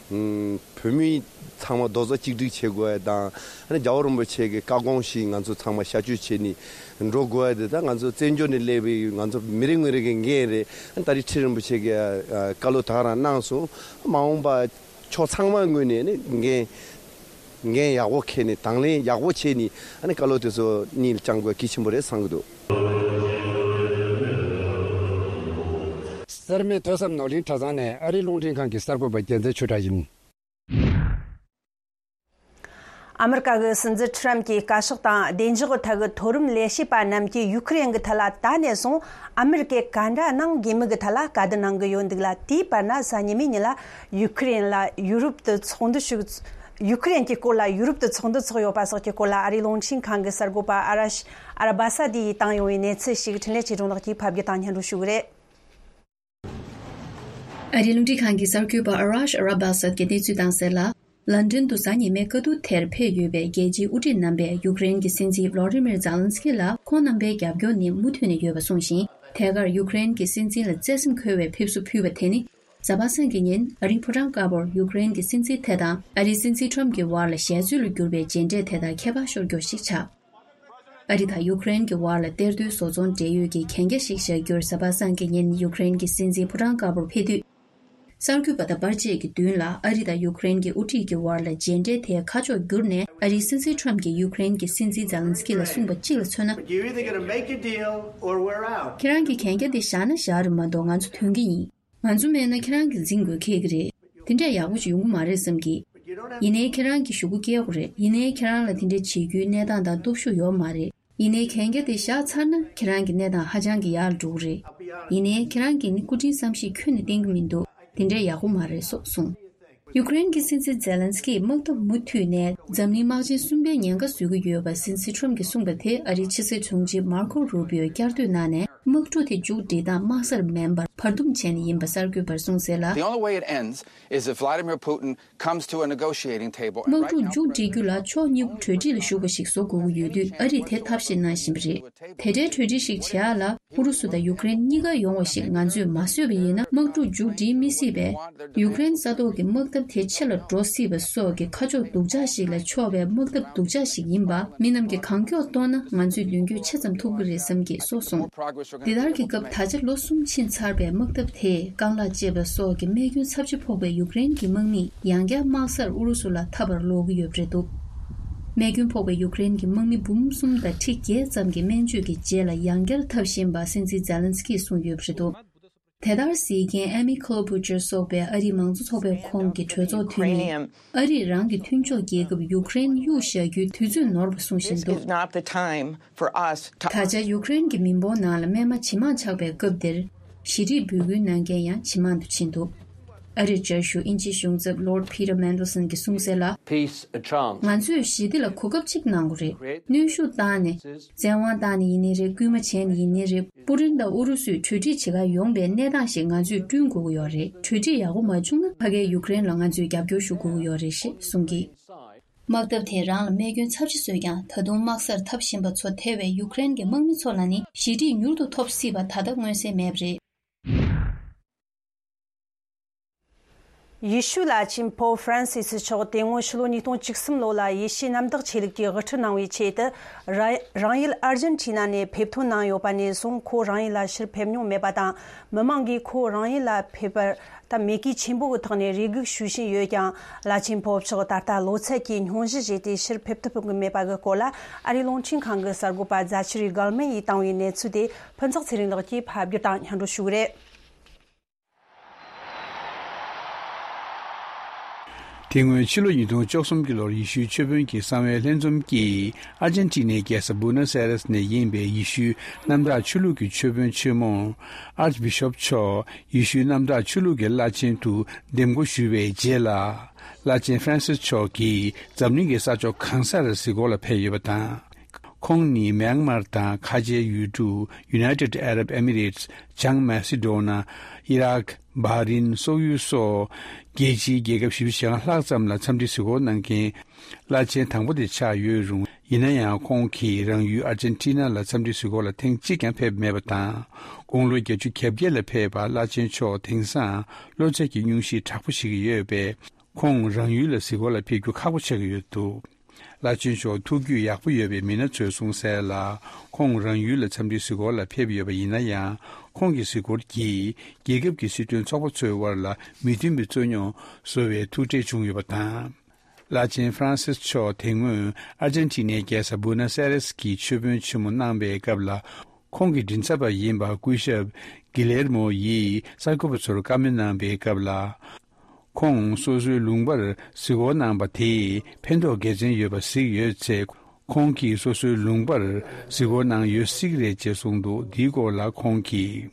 ཨུམ་བོད་མི་ཚང་མ་རྡོག་རྩ་གཅིག་སྒྲིལ་བྱེད་དགོས་ཡ་དང་། ཨ་ནི་རྒྱལ་བ་རིན་པོ་ཆེ་གི་བཀའ་དགོངས་བཞིན་ང་ཚོ་ཚང་མ་ཤར་བསྐྱོད་བྱས་ནས་འགྲོ་དགོས་ཡ་དེ། ད་ང་ཚོ་བཙན་བྱོལ་ནས་སླེབས་པའི་ང་ཚོ་མི་རེ་ངོ་རེ་གི་འགན་རེད། ཨ་ནི་ད་རེས་ཁྲི་རིན་པོ་ཆེ་གི་ཨ་བཀའ་སློབ་ད་ག་རང་གནང་སོང་། མ་འོངས་པ་ཕྱོགས་ཚང་མ་ངོས་ནས་ནི་འགན་འགན་ཡག་པོ་འཁྱེར་ནས་དང་ལེན་ཡག་པོ་བྱས་ནས། ཨ་ནི་བཀའ་སློབ་དེ་ཚོ་སྙིང་ལ་བཅངས་དགོས་གལ་ཆེན་པོ་རེད་བསམ་གྱི་འདུག། གསར་མའི་ཐོས་བསམ་ནོར་གླིང་གྲྭ་ཚང་ནས་ཨ་རིའི་རླུང་འཕྲིན་ཁང་གི་གསར་འགོད་པ་རྒྱལ་མཚན་ཆོས་གྲགས་ཡིན། ཨ་མི་རི་ཀ་གི་སྲིད་འཛིན་ཁྲི་རམ་གྱིས་བཀའ་ཤག་དང་བདེ་འཇགས་ཀྱི་ཐད་ཀྱི་མཐོ་རིམ་ལས་བྱེད་པ་རྣམས་ཀྱིས་ཡུ་ཁུ་རེན་གྱི་ཐད་ལ་ད་ནས་བཟུང་ཨ་མི་རི་ཀས་ག་འདྲ་གནང་དགོས་མིན་གྱི་ཐད་ལ་བཀའ་བསྡུར་གནང་གི་ཡོད་འདུག་ལ། དེའི་བར་ན་གཟའ་ཉི་མའི་ཉིན་ལ་ཡུ་ཁུ་རེན་ལ་ཡུ་རོབ་ཏུ་ཚོགས་འདུ་ཞུགས། ཡུ་ཁུ་རེན་གྱི་སྐོར་ལ་ཡུ་རོབ་ཏུ་ཚོགས་འདུ་ཚོགས་ཡོད་པ་སོགས་ཀྱི་སྐོར་ལ་ཨ་རིའི་རླུང་འཕྲིན་ཁང་གི་གསར་འགོད་པ་ཨ་ར་ཤ་ཨ་ར་བ་ས་དེ་ཡིས་བཏང་ཡོང་བའི་གནས་ཚུལ་ཞིག་འཕྲིན་ལས་ཆེ་གྲོང་ལགས་ཀྱིས་ཕབ་སྒྱུར་དང་སྙན་སྒྲོན་ཞུ་གི་རེད། ཨ་རིའི་རླུང་འཕྲིན་ཁང་གི་གསར་འགོད་པ་ཨ་ར་ཤ་ཨ་ར་བ་ས་ཀྱིས་གནས་ཚུལ་བཏང་གསལ་ལ། ལན་ཀྲན་དུ་གཟའ་ཉི་མའི་བཀའ་བསྡུར་དེར་ཕེབས་ཡོད་པའི་རྒྱལ་སྤྱིའི་དབུ་ཁྲིད་རྣམ་པས་ཡུཀ་རེན་གྱི་སྲིད་འཛིན་བློ་ཌི་མིར་ཛེ་ལན་སི་ཀི་ལ་ཁོང་རྣམ་པའི་རྒྱབ་སྐྱོར་ནི་མུ་མཐུད་ནས་ཡོད་པ་གསུངས་ཤིང་། ཐད་ཀར་ཡུཀ་རེན་གྱི་སྲིད་འཛིན་ལ་བརྩེ་སེམས་འཁོལ་བའི་ཕེབས་བསུ་ཕུལ་བ་དེ་ནི། གཟའ་པ་སངས་ཀྱི་ཉིན་ཨ་རིའི་ཕོ་བྲང་དཀར་པོར་ཡུཀ་རེན་གྱི་སྲིད་འཛིན་དེ་དང་ཨ་རིའི་སྲིད་འཛིན་ཁྲོམ་གྱི་བར་ལ་ཞལ་རྩོད་ལ་གྱུར་པའི་མཇལ་འཕྲད་དེ་དག་ཁྱད་པར་ཤོར་རྒྱུ་ཞིག་ཆགས། ཨ་རི་དང་ཡུཀ་རེན་གྱི་བར་ལ་གཏེར་སྟོན་བཟོ་ཚོང་འབྲེལ་ཡོད་ཀྱི་གན་རྒྱ་ཞིག་བཞག་རྒྱུར་གཟའ་པ་སངས་ཀྱི་ཉིན་ཡུཀ་རེན་གྱི་སྲིད་འཛིན་ཕོ་བྲང་དཀར་པོར་ཕེབས་དུས། གསར་འགོད་པ་དང་པར་ཆས་ཀྱི་མདུན་ལ་ཨ་རི་དང་ཡུཀ་རེན་གྱི་དབུ་ཁྲིད་ཀྱི་བར་ལ་མཇལ་འཕྲད་དེ་ཁ་ཕྱོགས་བསྒྱུར་ནས། ཨ་རིའི་སྲིད་འཛིན་ཁྲོམ་གྱིས་ཡུཀ་རེན་གྱི་སྲིད་འཛིན་ཛེ་ལན་སི་ཀི་ལ་གསུངས་པ་གཅིག་ལ་མཚོན་ན། You're either gonna make a deal or we're out. ཁྱེད་རང་གིས་གན་རྒྱ་དེ་བཞག་ན་བཞག་རེད་མ་གཏོགས་ང་ཚོ་ཐོན་གྱི་ཡིན། ང་ཚོ་མེད་ན་ཁྱེད་རང་གིས་འཛིང་དགོས་ཁེལ་གྱི་རེད། དེ་འདྲ་ཡག་པོ་ཞིག་ཡོང་གི་མ་རེད་བསམ་གི། ཡིན་ནའི་ཁྱེད་རང་གིས་ཞུ་སྒོ་སྐྱེལ་དགོས་རེད། ཡིན་ནའི་ཁྱེད་རང་ལ་དེ་འདྲ་བྱེད་རྒྱུའི་གནས་སྟངས་དང་སྟོབས་ཤུགས་ཡོད་མ་རེད། ཡིན་ནའི་གན་རྒྱ་དེ་བཞག་ཚར་ན་ཁྱེད་རང་གི་གནས་སྟངས་ཧ་ཅང་གི་ཡག་ལ་འགྲོ་གི་རེད། ཡིན་ནའི་ཁྱེད་རང་གིས་ནི་སྐུ་དྲིན་བསམ་ཤེས་ཁྱོན་ནས་བསྟེན་གི་མི་འདུག། དེ་འདྲ་ཡག་པོ་མ་རེད་སོགས་གསུངས། ཡུཀ་རེན་གྱི་སྲིད་འཛིན་ཛེ་ལན་སི་ཀིས་དམག་འཐབ་མུ་མཐུད་ནས་འཛམ་གླིང་དམག་ཆེན་གསུམ་པའི་ཉེན་ཁ་བཟོ་གི་ཡོད་པ་སྲིད་འཛིན་ཁྲོམ་གྱིས་གསུངས་པ་དེ་ཨ་རིའི་ཕྱི་སྲིད་དྲུང་ཆེ་མར་ཁོ་རུ་པིའོས་བསྐྱར་ཟློས་གནང་ནས། དམག་འཁྲུག་དེ་མཇུག་སྒྲིལ་སྟངས་དམག་སར་མིན་པར་བར་འདུམ་བྱས་ནས་ཡིན་པ་གསར་འགོད་པར་གསུངས་གསལ་ལ། The only way it ends is if Vladimir Putin comes to a negotiating table. དམག་འཁྲུག་མཇུག་སྒྲིལ་རྒྱུ་ལ་ཕྱོགས་གཉིས་པོ་གྲོས་འགྲིག་ལ་ཞུགས་པ་ཞིག་བཟོ་དགོས་ཀྱི་ཡོད་དུས་ཨ་རིས་དེ་ཐབས་ཤེས་གནང་བཞིན་པ་རེད། དེ་འདྲའི་གྲོས་འགྲིག་ཞིག་བྱེད་ཡག་ལ་ཨུ་རུ་སུ་དང་ཡུཀ་རེན་གཉིས་ཀ་ཡོང་བ་ཞིག་ང་ཚོས་མ་བཟོས་པ་ཡིན་ན་དམག་འཁྲུག་མཇུག་སྒྲིལ་མི་སྲིད་པས། ཡུཀ་རེན་ས་ཐོག་གི་དམག་འཐབ་དེ་ཆེ་ལ་འགྲོ་སྲིད་པ་སོགས་ཀྱི་ཁ་ཕྱོགས་སྡུག་ཅག་ཞིག་ལ་ཕྱོགས་པའི་དམག་འཐབ་སྡུག་ཅག་ཞིག་ཡིན་པ། མི་རྣམས་ཀྱིས་གང་མགྱོགས་རྟོགས་ན་ང་ཚོས་མདུན་སྐྱོད་ཆེ་ཙམ་ཐུབ་ཀྱི་རེད་བསམ་གྱི་སོགས་གསུངས། འདི་ལྟར་གྱི་སྐབས་ད་ཆ་ལོ་གསུམ་ཕྱིན་ཚར་བའི་དམག་འཐབ་དེས་རྐང་ལག་བཅད་པ་སོགས་ཀྱི་རྨས་སྐྱོན་ཚབས་ཆེ་ཕོག་པའི་ཡུཀ་རེན་གྱི་དམག་མིས་ཡང་བསྐྱར་དམག་སར་ཨུ་རུ་སུ་ལ་འཐབ་པར་ལོག་གི་ཡོད་པ་རེད་འདུག། རྨས་སྐྱོན་ཕོག་པའི་ཡུཀ་རེན་གྱི་དམག་མི་འབུམ་གསུམ་དང་ཁྲི་བརྒྱད་ཙམ་གྱི་སྨན་བཅོས་ཀྱི་རྗེས་ལ་ཡང་བསྐྱར་འཐབ་བཞིན་པ་སྲིད་འཛིན་ཛེ་ལན་སི་ཀིས་གསུངས་ཡོད་པ་རེད་འདུག། དེ་ལྟར་གཟིགས་མཁན་ཨེ་མི་ཁོ་ལོ་བུ་ཅར་སོགས་པའི་ཨ་རིའི་མང་གཙོ་ཚོགས་པའི་ཁོངས་ཀྱི་གྲོས་ཚོགས་འཐུས་མིས། ཨ་རིས་རང་གི་མཐུན་ཕྱོགས་རྒྱལ་ཁབ་ཡུཀ་རེན་གཡུག་བཞག་རྒྱུའི་དུས་ཚོད་ནོར་བ་གསུངས་བཞིན་འདུག། This is not the time for us to ད་ཆ་ཡུཀ་རེན་གྱི་མི་འབོར་ནང་ལ་སྨན་མ་ཇེ་མང་ཆགས་པའི་སྐབས་འདིར། ཞི་བདེའི་འབོད་སྐུལ་གནང་མཁན་ཡང་ཇེ་མང་དུ་ཕྱིན་འདུག། ཨ་རིར་བཅའ་བཞུགས་དབྱིན་ཇིའི་གཞུང་ཚབ་Lord Peter Mandelson གྱིས་གསུངས་གསལ་ལ། Peace a chance. ང་ཚོས་ཞི་བདེ་ལ་གོ་སྐབས་གཅིག་གནང་དགོས་རེད། གནོན་ཤུགས་བཏང་ནས། བཙན་དབང་བཏང་ནས་ཡིན་ནའི་རེད། སྐུལ་མ་བྱས་ནས་ཡིན་ནའི་རེད། པུ་ཏིན་དང་ཨུ་རུ་སུས་གྲོས་འགྲིག་བྱེད་གར་ཡོང་པའི་གནས་སྟངས་ཤིག་ང་ཚོས་བསྐྲུན་དགོས་ཀྱི་ཡོད་རེད། གྲོས་འགྲིག་ཡག་པོ་མ་བྱུང་ན་ཕ་གིའི་ཡུཀ་རེན་ལ་ང་ཚོས་རྒྱབ་སྐྱོར་ཞུ་དགོས་ཀྱི་ཡོད་རེད་ཞེས་གསུངས་ཀྱིས། དམག་འཐབ་དེས་རང་ལ་རྨས་སྐྱོན་ཚབས་ཆེ་བཟོས་ཀྱང་ད་དུང་དམག་སར་འཐབ་བཞིན་པ་ཚོ་ཐེ་བའི་ཡུཀ་རེན་གྱི་དམག་མི་ཚོ་ལ་ནི་ཞི་བདེ་མྱུར་དུ་ཐོབ་སྲིད་པ་ད་ལྟ་མངོན་གསལ་མེད་པ་རེད། ཡེ་ཤུའི་བླ་ཆེན་པོབ་ཧྥ་རན་སི་སི་མཆོག་དེ་སྔོན་ཕྱི་ལོ་ཉིས་སྟོང་བཅུ་གསུམ་ལོ་ལ་ཡེ་ཤུའི་གནམ་བདག་ཆོས་ལུགས་ཀྱི་དབུ་ཁྲིད་གནང་བའི་ཆེད་དུ་ར་རང་ཡུལ་ཨར་ཇན་ཊི་ན་ནས་ཕེབས་ཐོན་གནང་ཡོད་པ་ནས་བཟུང་ཁོ་རང་ཡུལ་ལ་ཕྱིར་ཕེབས་མྱོང་མེད་པ་དང་། མི་མང་གིས་ཁོ་རང་ཡུལ་ལ་ཕེབས་པར་ད་མོས་གུས་ཆེན་པོ་གི་ཐོག་ནས་རེ་སྒུག་ཞུ་བཞིན་ཡོད་ཀྱང་། བླ་ཆེན་པོབ་མཆོག་ད་ལྟ་ལོ་ཚད་ཀྱི་སྙུང་གཞི་བཞེས་ཏེ་ཕྱིར་ཕེབས་ཐུབ་ཀྱི་མེད་པ་གི་སྐོར་ལ་ཨ་རིའི་རླུང་འཕྲིན་ཁང་གི་གསར་འགོད་པ་ཛ་ཆི་རི་གལ་མན་ཡིས་བཏང་བའི་གནས་ཚུལ་དེ་ཕུན་ཚོགས་ཚེ་རིང་ལགས་ཀྱིས་ཕབ་སྒྱུར་དང་སྙན་སྒྲོན་ཞུ་གི་རེད། དེ་སྔོན་ཕྱི་ལོ་ཉིས་སྟོང་བཅུ་གསུམ་གྱི་ལོར་ཡེ་ཤུའི་ཆོས་དཔོན་གྱི་གསང་བའི་ལྷན་འཛོམས་ཀྱིས་ཨར་ཇན་ཊི་ནའི་རྒྱལ་ས་བུ་ནོ་སི་ཨེ་རེས་ནས་ཡིན་པའི་ཡེ་ཤུའི་གནམ་བདག་ཆོས་ལུགས་ཀྱི་ཆོས་དཔོན་ཆེན་མོ་ཨར་ཅི་བི་ཤོབ་མཆོག་ཡེ་ཤུའི་གནམ་བདག་ཆོས་ལུགས་ཀྱི་བླ་ཆེན་དུ་འདེམས་བསྐོ་ཞུས་པའི་རྗེས་ལ། བླ་ཆེན་ཧྥ་རན་སིས་མཆོག་གིས་འཛམ་གླིང་གི་ས་ཕྱོགས་གང་སར་གཟིགས་སྐོར་ལ་ཕེབས་ཡོད་པ་དང་། ཁོང་ནི་མེན་མར་དང་ཁ་ཆེའི་ཡུལ་གྲུ་United Arab Emirates། བྱང་མ་སི་ཌོ་ན། ཨི་རག། བྷ་རིན། སོག་ཡུལ་སོགས་རྒྱལ་སྤྱིའི་རྒྱལ་ཁབ་བཞི་བཅུ་ཞེ་ལྔ་ལྷག་ཙམ་ལ་འཚམས་འདྲི་གཟིགས་སྐོར་གནང་མཁན་བླ་ཆེན་དང་པོ་དེ་ཆགས་ཡོད་རུང་། ཡིན་ན་ཡང་ཁོང་གིས་རང་ཡུལ་ཨར་ཇན་ཊི་ན་ལ་འཚམས་འདྲི་གཟིགས་སྐོར་ལ་ཐེངས་གཅིག་ཀྱང་ཕེབས་མེད་པ་དང་། དགུང་ལོ་བརྒྱད་ཅུ་གྱ་བརྒྱད་ལ་ཕེབས་པ་བླ་ཆེན་མཆོག་དེང་སང་གློ་ཚད་ཀྱི་སྙུང་གཞི་དྲག་པོ་ཞིག་ཡོད་པས། ཁོང་རང་ཡུལ་ལ་གཟིགས་སྐོར་ལ་ཕེབས་རྒྱུ་ཁག་པོ་ཆགས་ཀྱི་ཡོད་འདུག་བླ་ཆེན་མཆོག་ཐུགས་རྒྱུས་ཡག་པོ་ཡོད་པའི་མི་སྣ་ཚོས་གསུངས་གསལ་ལ། ཁོང་རང་ཡུལ་ལ་འཚམས་འདྲིའི་གཟིགས་སྐོར་ལ་ཕེབས་ཡོད་པ་ཡིན་ན་ཡང་། ཁོང་གི་གཟིགས་སྐོར་གྱིས་རྒྱལ་ཁབ་ཀྱི་སྲིད་དོན་ཚོགས་པ་ཚོའི་དབར་ལ་མི་མཐུན་པའི་རྩོད་རྙོག་བཟོ་བའི་ཐུགས་ཁྲལ་བྱུང་ཡོད་པ་དང་། བླ་ཆེན་ཧྥ་རན་སིས་མཆོག་དེ་སྔོན་ཨར་ཇན་ཊི་ནའི་རྒྱལ་ས་བུ་ནོ་སི་ཨེ་རེས་ཀྱི་མཆོད་དཔོན་ཆེན་མོ་གནང་པའི་སྐབས་ལ། ཁོང་གི་མགྲིན་ཚབ་པ་ཡིན་པ་སྐུ་ཞབས་གི་ལེར་མོ་ཡིས་གསར་འགོད་པ་ཚོར་བཀའ་མོལ་གནང་པའི་སྐབས་ལ། ཁོང་སོ་སོའི་ལུང་པར་གཟིགས་སྐོར་གནང་པ་དེས་ཕན་ཐོགས་དགེ་མཚན་ཡོད་པ་གཟིགས་ཡོད་ཚེ། ཁོང་གིས་སོ་སོའི་ལུང་པར་གཟིགས་སྐོར་གནང་ཡོད་གཟིགས་རེད་ཅེས་གསུངས་འདུག་འདིའི་སྐོར་ལ་ཁོང་གིས།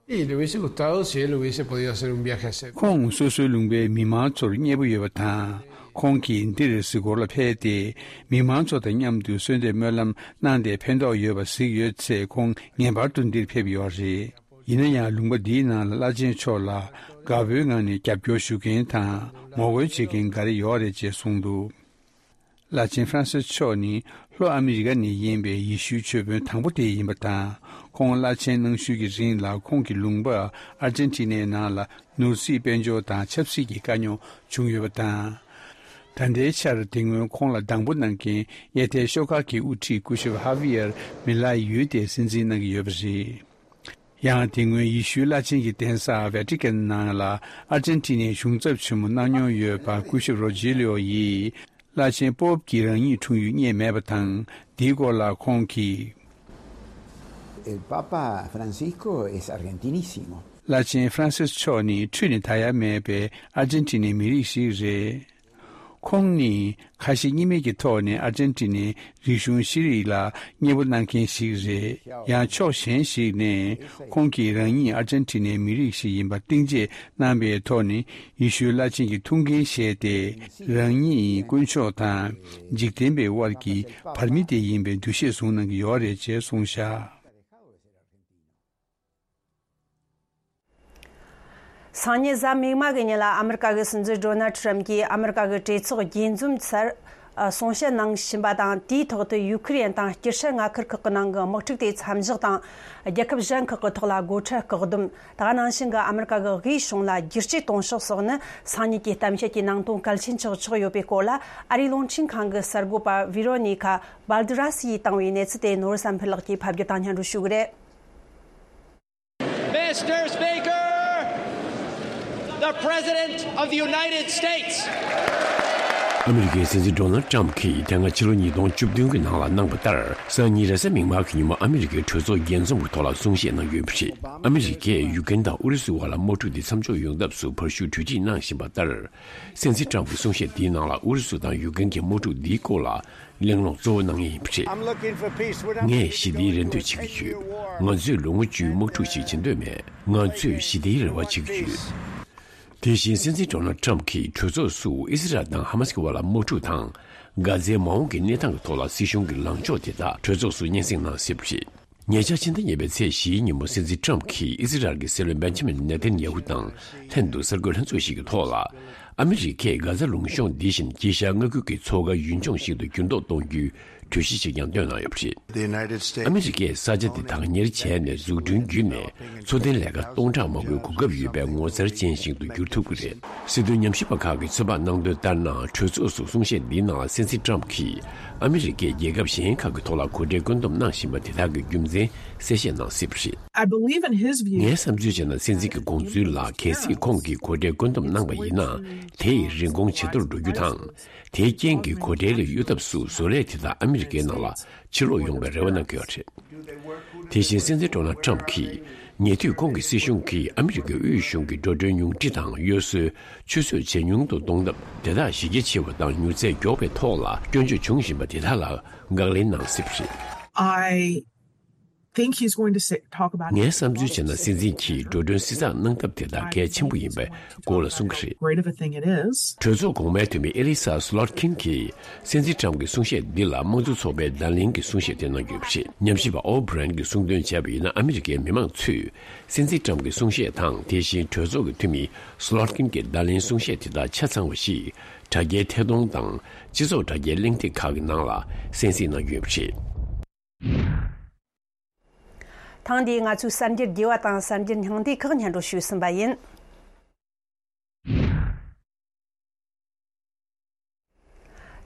Y le hubiese gustado si él hubiese podido hacer un viaje a hacer. ཁོང་སོ་སོའི་ལུང་པའི་མི་མང་ཚོར་མཉེས་པོ་ཡོད་པ་དང་། ཁོང་གིས་འདིར་གཟིགས་སྐོར་ལ་ཕེབས་ཏེ། མི་མང་ཚོ་དང་མཉམ་དུ་གསོལ་འདེབས་སྨོན་ལམ་གནང་སྟེ་ཕན་ཐོགས་ཡོད་པ་གཟིགས་ཡོད་ཚེ། ཁོང་ངེས་པར་དུ་འདིར་ཕེབས་ཡོད་རེད། ཡིན་ན་ཡང་ལུང་པ་འདིའི་ནང་ལ་བླ་ཆེན་མཆོག་ལ་དགའ་པོའི་ངང་ནས་རྒྱབ་སྐྱོར་ཞུ་མཁན་དང་ངོ་རྒོལ་བྱེད་མཁན་འགའ་རེ་ཡོད་རེད་ཅེས་གསུངས་འདུག་བླ་ཆེན་ཧྥ་རན་སིས་མཆོག་ནི་ལྷོ་ཨ་མི་རི་ཀ་ནས་ཡིན་པའི་ཡེ་ཤུའི་མཆོད་དཔོན་དང་པོ་དེ་ཡིན་པ་དང་། ཁོང་བླ་ཆེན་གནང་ཤུལ་གྱི་རིང་ལ་ཁོང་གི་ལུང་པ་ཨར་ཇན་ཊི་ནའི་ནང་ལ་ནོར་སྲིད་དཔལ་འབྱོར་དང་ཆབ་སྲིད་ཀྱི་དཀའ་རྙོག་བྱུང་ཡོད་པ་དང་། ད་ལྟའི་ཆར་དེ་སྔོན་ཁོང་ལ་སྡང་པོ་གནང་མཁན་གཡས་ཐལ་ཤོག་ཁག་གི་དབུ་ཁྲིད་སྐུ་ཞབས་ཧ་བི་ཡར་མི་ལའི་ཡུལ་དེ་སྲིད་འཛིན་གནང་གི་ཡོད་པ་རེད། ཡང་དེ་སྔོན་ཡེ་ཤུའི་བླ་ཆེན་གྱི་གདན་ས་ཝེ་ཏི་ཀན་ནང་ལ་ཨར་ཇན་ཊི་ནའི་གཞུང་ཚབ་ཆེན་མོ་གནང་མྱོང་ཡོད་པ་སྐུ་ཞབས་རོ་ཇི་ལིའོ་ཡིས། བླ་ཆེན་པོབ་ཀྱི་རང་ཉིད་འཁྲུངས་ཡུལ་རྙེད་མེད་པ་དང་། འདིའི་སྐོར་ལ་ཁོང་གིས། El Papa Francisco es argentinísimo. བླ་ཆེན་ཧྥ་རན་སིས་མཆོག་ནི་འཁྲུས་ནས་ད་ཡ་མེད་པའི་ཨར་ཇན་ཊི་ནའི་མི་རིགས་ཤིག་རེད། ཁོང་ནི་ཁ་ཞེ་གཉིས་མེད་ཀྱི་ཐོག་ནས་ཨར་ཇན་ཊི་ནའི་རིག་གཞུང་ཤེས་རིག་ལ་མཉེས་པོ་གནང་མཁན་ཞིག་རེད། ཡང་ཕྱོགས་གཞན་ཞིག་ནས་ཁོང་གིས་རང་ཉིད་ཨར་ཇན་ཊི་ནའི་མི་རིགས་ཤིག་ཡིན་པར་གཏིང་བརྗེད་གནང་པའི་ཐོག་ནས། ཡེ་ཤུའི་བླ་ཆེན་གྱི་ཐུགས་འགན་བཞེས་ཏེ། རང་ཉིད་དཀོན་མཆོག་དང་འཇིག་རྟེན་པའི་དབར་གྱི་བར་མི་དེ་ཡིན་པའི་འདུ་ཤེས་བཟུང་གནང་གི་ཡོད་རེད་ཅེས་གསུངས་བཞག་སང་ཉིན་གཟའ་མིག་དམར་གྱི་ཉིན་ལ་ཨ་མི་རི་ཀ་གི་སྲིད་འཛིན་ཌོ་ནལ་ཁྲམ་གྱིས་ཨ་མི་རི་ཀ་གི་གྲོས་ཚོགས་རྒྱས་འཛོམས་སར་གསུང་བཤད་གནང་བཞིན་པ་དང་། དེའི་ཐོག་ཏུ་ཡུ་ཁི་རེན་དང་སྐྱིད་ཤར་མངའ་ཁུལ་ཁག་གི་ནང་གི་དམག་འཁྲུག་དེ་མཚམས་བཞག་དང་། རྒྱལ་ཁབ་གཞན་ཁག་གི་ཐོག་ལ་སྒོ་ཁྲལ་བཀག་སྡོམ། ད་ག་ནང་བཞིན་གྱི་ཨ་མི་རི་ཀ་གི་དབུས་གཞུང་ལ་བསྒྱུར་བཅོས་གཏོང་ཕྱོགས་སོགས་ནི་སང་ཉིན་གྱི་གཏམ་བཤད་ཀྱི་ནང་དོན་གལ་ཆེན་ཆགས་ཆོག་ཡོད་པའི་སྐོར་ལ། ཨ་རིའི་རླུང་འཕྲིན་ཁང་གི་གསར་འགོད་པ་ཝི་རོ་ནི་ཁ་བཱལ་ཏི་ར་སི་ཡིས་བཏང་བའི་གནས་ཚུལ་དེ་ནོར་བུ་བསམ་འཕེལ་ལགས་ཀྱིས་ཕབ་སྒྱུར་དང་སྙན་སྒྲོན་ཞུ་གི་རེད། Mister Speaker, the President of the United States. ཨ་མི་རི་ཀའི་སྲིད་འཛིན་ཌོ་ནལ་ཊམ་གྱིས་དེ་སྔ་ཕྱི་ལོ་ཉིས་སྟོང་བཅུ་བདུན་གྱི་ནང་ལ་གནང་བ་ལྟར། སང་ཉིན་རེས་གཟའ་མིག་དམར་གྱི་ཉིན་མོ་ཨ་མི་རི་ཀའི་གྲོས་ཚོགས་རྒྱས་འཛོམས་ཀྱི་ཐོག་ལ་གསུང་བཤད་གནང་ཡོད་པ་རེད། ཨ་མི་རི་ཀས་ཡུ་ཀེན་དང་ཨུ་རུ་སུའི་བར་ལ་དམག་འཁྲུག་འདི་མཚམས་འཇོག་ཡོང་ཐབས་སུ་བར་ཞུགས་གྲོས་ཆོད་གནང་བཞིན་པ་ལྟར། སྲིད་འཛིན་ཊམ་གྱི་གསུང་བཤད་འདིའི་ནང་ལ་ཨུ་རུ་སུ་དང་ཡུ་ཀེན་གྱི་དམག་འཁྲུག་འདིའི་སྐོར་ལ་གླེང་སློང་གཙོ་བོ་གནང་ངེས་ཡིན་པ་རེད། ངས་ཞི་བདེའི་རེ་འདོད་བྱེད་ཀྱི་ཡོད། ང་ཚོས་ལོ་ངོ་བཅུའི་དམག་འཁྲུག་ཞིག་བྱེད་འདོད་མེད། ང་ཚོས་ཞི་བདེའི་རེ་བ་བྱེད་ཀྱི་ཡོད། དེ་བཞིན་སྲིད་འཛིན་ཌོ་ནལ་ཊམ་གྱིས་གྲོས་ཚོགས་སུ་ཨི་སི་རལ་དང་ཧ་མ་སི་ཀྱི་བར་ལ་དམག་འཁྲུག་དང་། གྷ་ཛའི་མ་འོངས་ཀྱི་གནས་སྟངས་ཀྱི་ཐོག་ལ་སྲིད་གཞུང་གི་ལངས་ཕྱོགས་དེ་དག་གྲོས་ཚོགས་སུ་སྙན་སེང་གནང་སྲིད་པ་རེད། ཉེ་ཆར་ཕྱི་ཟླ་གཉིས་པའི་ཚེས་བཞིའི་ཉིན་མོ་སྲིད་འཛིན་ཊམ་གྱིས་ཨི་སི་རལ་གྱི་སྲིད་བློན་བེན་ཇི་མིན་ནེ་ཐན་ཡ་ཧུ་དང་ལྷན་དུ་གསར་འགོད་ལྷན་ཚོགས་ཤིག་གི་ཐོག་ལ། ཨ་མི་རི་ཀས་གྷ་ཛ་ལུང་གཤོང་འདི་བཞིན་དཀྱིལ་ཤར་མངའ་ཁུལ་གྱི་མཚོ་ཁ་ཡུལ་ལྗོངས་ཤིག་ཏུ་འགྱུར་ལྡོག་གཏོང་རྒྱུའི་གྲོས་གཞི་ཞིག་ཀྱང་བཏོན་གནང་ཡོད་པ་རེད། ཨ་མི་རི་ཀས་ས་ཆ་དེ་དག་གཉེར་བྱས་ནས་འཛུགས་སྐྲུན་བརྒྱུད་ནས་འཚོ་རྟེན་ལས་ཀ་སྟོང་ཕྲག་མང་པོའི་གོ་སྐབས་ཡོད་པའི་ངོ་མཚར་ཅན་ཞིག་ཏུ་འགྱུར་ཐུབ་ཀྱི་རེད། སྲིད་དོན་ཉམས་ཞིབ་པ་ཁག་གིས་ཚོད་དཔག་གནང་དོན་ལྟར་ན། གྲོས་ཚོགས་སུ་གསུང་བཤད་འདིའི་ནང་ལ་སྲིད་འཛིན་ཊམ་གྱིས་ཨ་མི་རི་ཀས་རྒྱལ་ཁབ་གཞན་ཁག་གི་ཐོག་ལ་གོ་གྲལ་བཀོད་འདོམས་གནང་བཞིན་པ་དེ་དག་གི་རྒྱུ་མཚན་གསལ་བཤད་གནང་སྲིད་པ་རེད། I believe in his view. ངའི་བསམ་ཚུལ་བྱས་ན། སྲིད་འཛིན་གྱི་དགོངས་ཚུལ་ལ་གལ་སྲིད་ཁོང་གིས་གོ་གྲལ་བཀོད་འདོམས་གནང་པ་ཡིན་ན། དེ་ཡི་རིན་གོང་ཇེ་མཐོར་འགྲོ་རྒྱུ་དང་། དེའི་རྐྱེན་གྱིས་གོ་གྲལ་ལས་གཡོལ་ཐབས་སུ་བཟོ་ལས་དེ་དག་ཨ་མི་རི་ཀའི་ནང་ལ་ཕྱིར་ལོག་ཡོང་བའི་རེ་བ་གནང་གི་ཡོད་རེད། དེ་བཞིན་སྲིད་འཛིན་ཌོ་ནལ་ཊམ་གྱིས་ཉེ་དུས་ཁོང་གི་སྲིད་གཞུང་གིས་ཨ་མི་རི་ཀའི་དབུས་གཞུང་གི་འགྲོ་གྲོན་ཉུང་འཕྲི་དང་གཡོ་ཟོལ་ཆུད་ཟོས་ཇེ་ཉུང་དུ་གཏོང་ཐབས་དེ་དག་གཞི་རྒྱ་ཆེ་བ་དང་མྱུར་ཚད་མགྱོགས་པའི་ཐོག་ལ་སྐྱོན་བརྗོད་འབྱུང་བཞིན་པ་དེ་དག་ལ་དགག་ལན་གནང་སྲིད་པ་རེད། I think he's going to say, talk about ངའི་བསམ་ཚུལ་བྱས་ན། སྲིད་འཛིན་གྱིས་འགྲོ་གྲོན་བསྲི་ཚགས་གནང་ཐབས་དེ་དག་གལ་ཆེན་པོ་ཡིན་པའི་སྐོར་ལ་གསུང་གི་རེད། Great of a thing it is. གྲོས་ཚོགས་གོང་མའི་འཐུས་མི་ཨེ་ལི་ས་སུ་ལོད་ཀིན་གྱིས་སྲིད་འཛིན་ཊམ་གྱི་གསུང་བཤད་འདི་ལ་དམངས་གཙོ་ཚོགས་པའི་བརྡ་ལན་གྱི་གསུང་བཤད་དེ་གནང་རྒྱུ་རེད། ཉམས་ཞིབ་པ་ཨོ་བྷི་རན་གྱིས་གསུངས་དོན་བྱས་པ་ཡིན་ན། ཨ་མི་རི་ཀའི་མི་མང་ཚོས་སྲིད་འཛིན་ཊམ་གྱི་གསུང་བཤད་དང་། དེ་བཞིན་གྲོས་ཚོགས་ཀྱི་འཐུས་མི་སུ་ལོད་ཀིན་གྱི་བརྡ་ལན་གསུང་བཤད་དེ་དག་ཆ་ཚང་བ་ཞིག་དྲ་རྒྱའི་ཐད་གཏོང་དང་སྤྱི་ཚོགས་དྲ་རྒྱའི་གླེང་སྟེགས་ཁག་གི་ནང་ལ་གསན་གཟིགས་གནང་རྒྱུ་ཡིན་པ་རེད། ཐེངས་འདིའི་ང་ཚོའི་གསར་འགྱུར་རྒྱས་པ་དང་གསར་འགྱུར་སྙིང་བསྡུས་ཁག་སྙན་སྒྲོན་ཞུས་ཟིན་པ་ཡིན།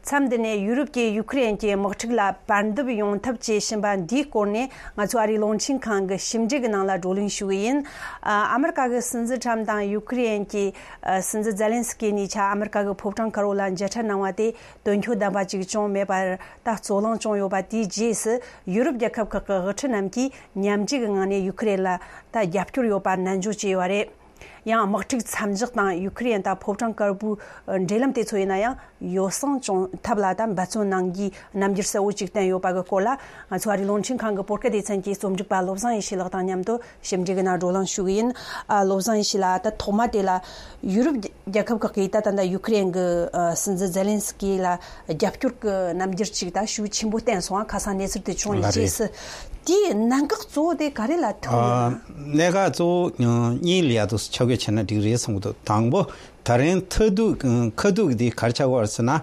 མཚམས་འདི་ནས་ཡུ་རོབ་ཀྱིས་ཡུ་ཁུ་རེན་གྱི་དམག་འཁྲུག་ལ་བར་འདུམ་ཡོང་ཐབས་བྱེད་བཞིན་པ་འདིའི་སྐོར་ནས། ང་ཚོ་ཨ་རིའི་རླུང་འཕྲིན་ཁང་གི་ཞིབ་འཇུག་གི་ནང་ལ་བགྲོ་གླེང་ཞུ་གི་ཡིན། ཨ་ཨ་མི་རི་ཀ་གི་སྲིད་འཛིན་ཊམ་དང་ཡུ་ཁུ་རེན་གྱི་ཨ་སྲིད་འཛིན་ཛེ་ལན་སི་ཀི་གཉིས་ཆ་ཨ་མི་རི་ཀ་གི་ཕོ་བྲང་དཀར་པོ་ལ་མཇལ་འཕྲད་གནང་བ་དེ་དོན་འཁྱོལ་ལྡན་པ་ཅིག་བྱུང་མེད་པར། ད་རྩོད་གླེང་བྱུང་ཡོད་པ་དེའི་རྗེས་སུ། ཡུ་རོབ་རྒྱལ་ཁབ་ཁག་གི་དབུ་ཁྲིད་རྣམས་ཀྱིས་མཉམ་འབྲེལ་གྱི་ངང་ནས་ཡུ་ཁུ་རེན་ལ་ད་རྒྱབ་སྐྱོར་ཡོད་པ་ནན་བརྗོད་བྱས་ཡོད་པ་རེད། ཡང་དམག་འཁྲུག་མཚམས་འཇོག་དང་ཡུ་ཁུ་རེན་དང་ཕོ་བྲང་དཀར་པོའི་འབྲེལ་ལམ་དེ་ཚོ་ཡིན་ན་ཡང་ཡོ་བསྲང་བྱུང་ཐབས་ལ་ད་འབད་བརྩོན་གནང་རྒྱུའི་རྣམ་འགྱུར་གསལ་བོ་ཅིག་བསྟན་ཡོད་པ་གི་སྐོར་ལ། ང་ཚོ་ཨ་རིའི་རླུང་འཕྲིན་ཁང་གི་བོད་སྐད་སྡེ་ཚན་གྱི་རྩོམ་སྒྲིག་པ་བློ་བཟང་ཡེ་ཤེས་ལགས་དང་མཉམ་དུ་ཞིབ་འཇུག་གི་ནང་བགྲོ་གླེང་ཞུ་གི་ཡིན། ཨ་བློ་བཟང་ཡེ་ཤེས་ལགས། ད་ཐོག་མ་དེ་ལ་ཡུ་རོབ་རྒྱལ་ཁབ་ཁག་གིས་ད་ད་ལྟ་ཡུ་ཁུ་རེན་གྱི་ཨ་སྲིད་འཛིན་ཛེ་ལན་སི་ཀི་ལ་རྒྱབ་སྐྱོར་གྱི་རྣམ་འགྱུར་ཅིག་ད་ཤུགས་ཆེན་པོ་བསྟན་སོང་། ཨ་ཁ་སང་གནས་ཚུལ་དེ་བྱུང་བའི་ལགས་རེད། རྗེས་སུ་དེའི་གནད་འགག་གཙོ་བོ་དེ་ག་རེ་ལ་ཐུག་ཡོད་ན། ཨ་གནད་འགག་གཙོ་བོ་གཉིས་ལ་ཡ་ཐུག་ཆ་བགོས་བྱས་ན་འགྲིག་རེད་བསམ་གྱི་འདུག་དང་པོ་ད་རིང་མཐའ་གཏུག་ཁ་ཐུག་འདི་ག་རེ་ཆགས་ཀྱི་ཡོད་རེད་ཟེར་ན། ཨ་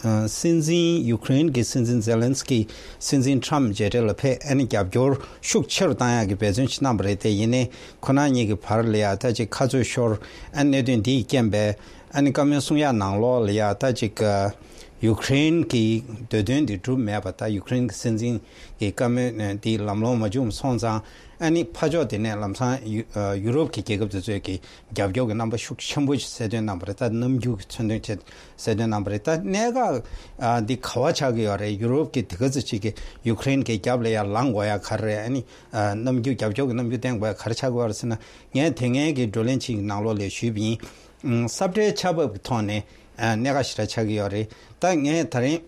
ཨ་སྲིད་འཛིན་ཡུ་ཁུ་རེན་གྱི་སྲིད་འཛིན་ཛེ་ལན་སི་ཀི་སྲིད་འཛིན་ཊམ་མཇལ་འཕྲད་ལ་ཕེབས། ཨ་ནི་རྒྱབ་སྐྱོར་ཤུགས་ཆེ་རུ་བཏང་ཡག་གི་འབད་བརྩོན་ཞིག་གནང་བ་རེད། དེ་ཡིན་ནའི་ཁོ་རང་གཉིས་ཀྱི་བར་ལ་ཡ་ད་ཅིག་ཁ་རྩོད་ཤོར། ཨ་གནད་དོན་འདིའི་རྐྱེན་པས་ཨ་ནི་བཀའ་མོལ་གསུང་ཡག་ནང་ལོགས་ལ་ཡ་ད་ཅིག་ཡུ་ཁུ་རེན་གྱི་འདོད་དོན་འདི་འགྲུབ་མེད་པ། ད་ཡུ་ཁུ་རེན་གྱི་སྲིད་འཛིན་གྱི་བཀའ་མོལ་འདི་ལམ་ལྷོང་མ་བྱུང་སོང་ཙང་། ཨ་ནི་ཕར་ཕྱོགས་དེ་ནས་ལམ་སང་ཡུ་ཡུ་རོབ་ཀྱི་རྒྱལ་ཁབ་དེ་ཚོས་ཀྱི་རྒྱབ་སྐྱོར་གྱི་རྣམ་པ་ཤུགས་ཆེན་པོ་ཞིག་གསལ་སྟོན་གནང་བ་རེད། ད་གནམ་གྲུ་གི་མཚོན་དོན་བྱས་གསལ་སྟོན་གནང་བ་རེད། ད་གནད་འགག་ཨ་འདི་ག་པར་ཆགས་ཀྱི་ཡོད་རེད། ཡུ་རོབ་ཀྱི་དེ་ག་ཚོད་ཅིག་གི་ཡུ་ཁུ་རེན་གྱི་རྒྱབ་ལ་ཡར་ལངས་དགོས་ཡ་ག་རེ་རེད། ཨ་ནི་ཨ་གནམ་གྲུ་རྒྱབ་སྐྱོར་གྱི་གནམ་གྲུ་བསྟན་དགོས་ཡ་ག་རེ་ཆགས་ཀྱི་ཡོད་རེད་ཟེར་ན། ངས་དེ་སྔའི་གི་བགྲོ་གླེང་ཅིག་གི་ནང་ལོགས་ལ་ཞུས་པ་ཡིན། ཨ་ས་བཀྲའི་ཆར་འབབ་ཀྱི་ཐོག་ནས་ཨ་གནད་འགག་ཞེ་དྲག་ཆགས་ཀྱི་ཡོད་རེད། ད་ངས་ད་རིང་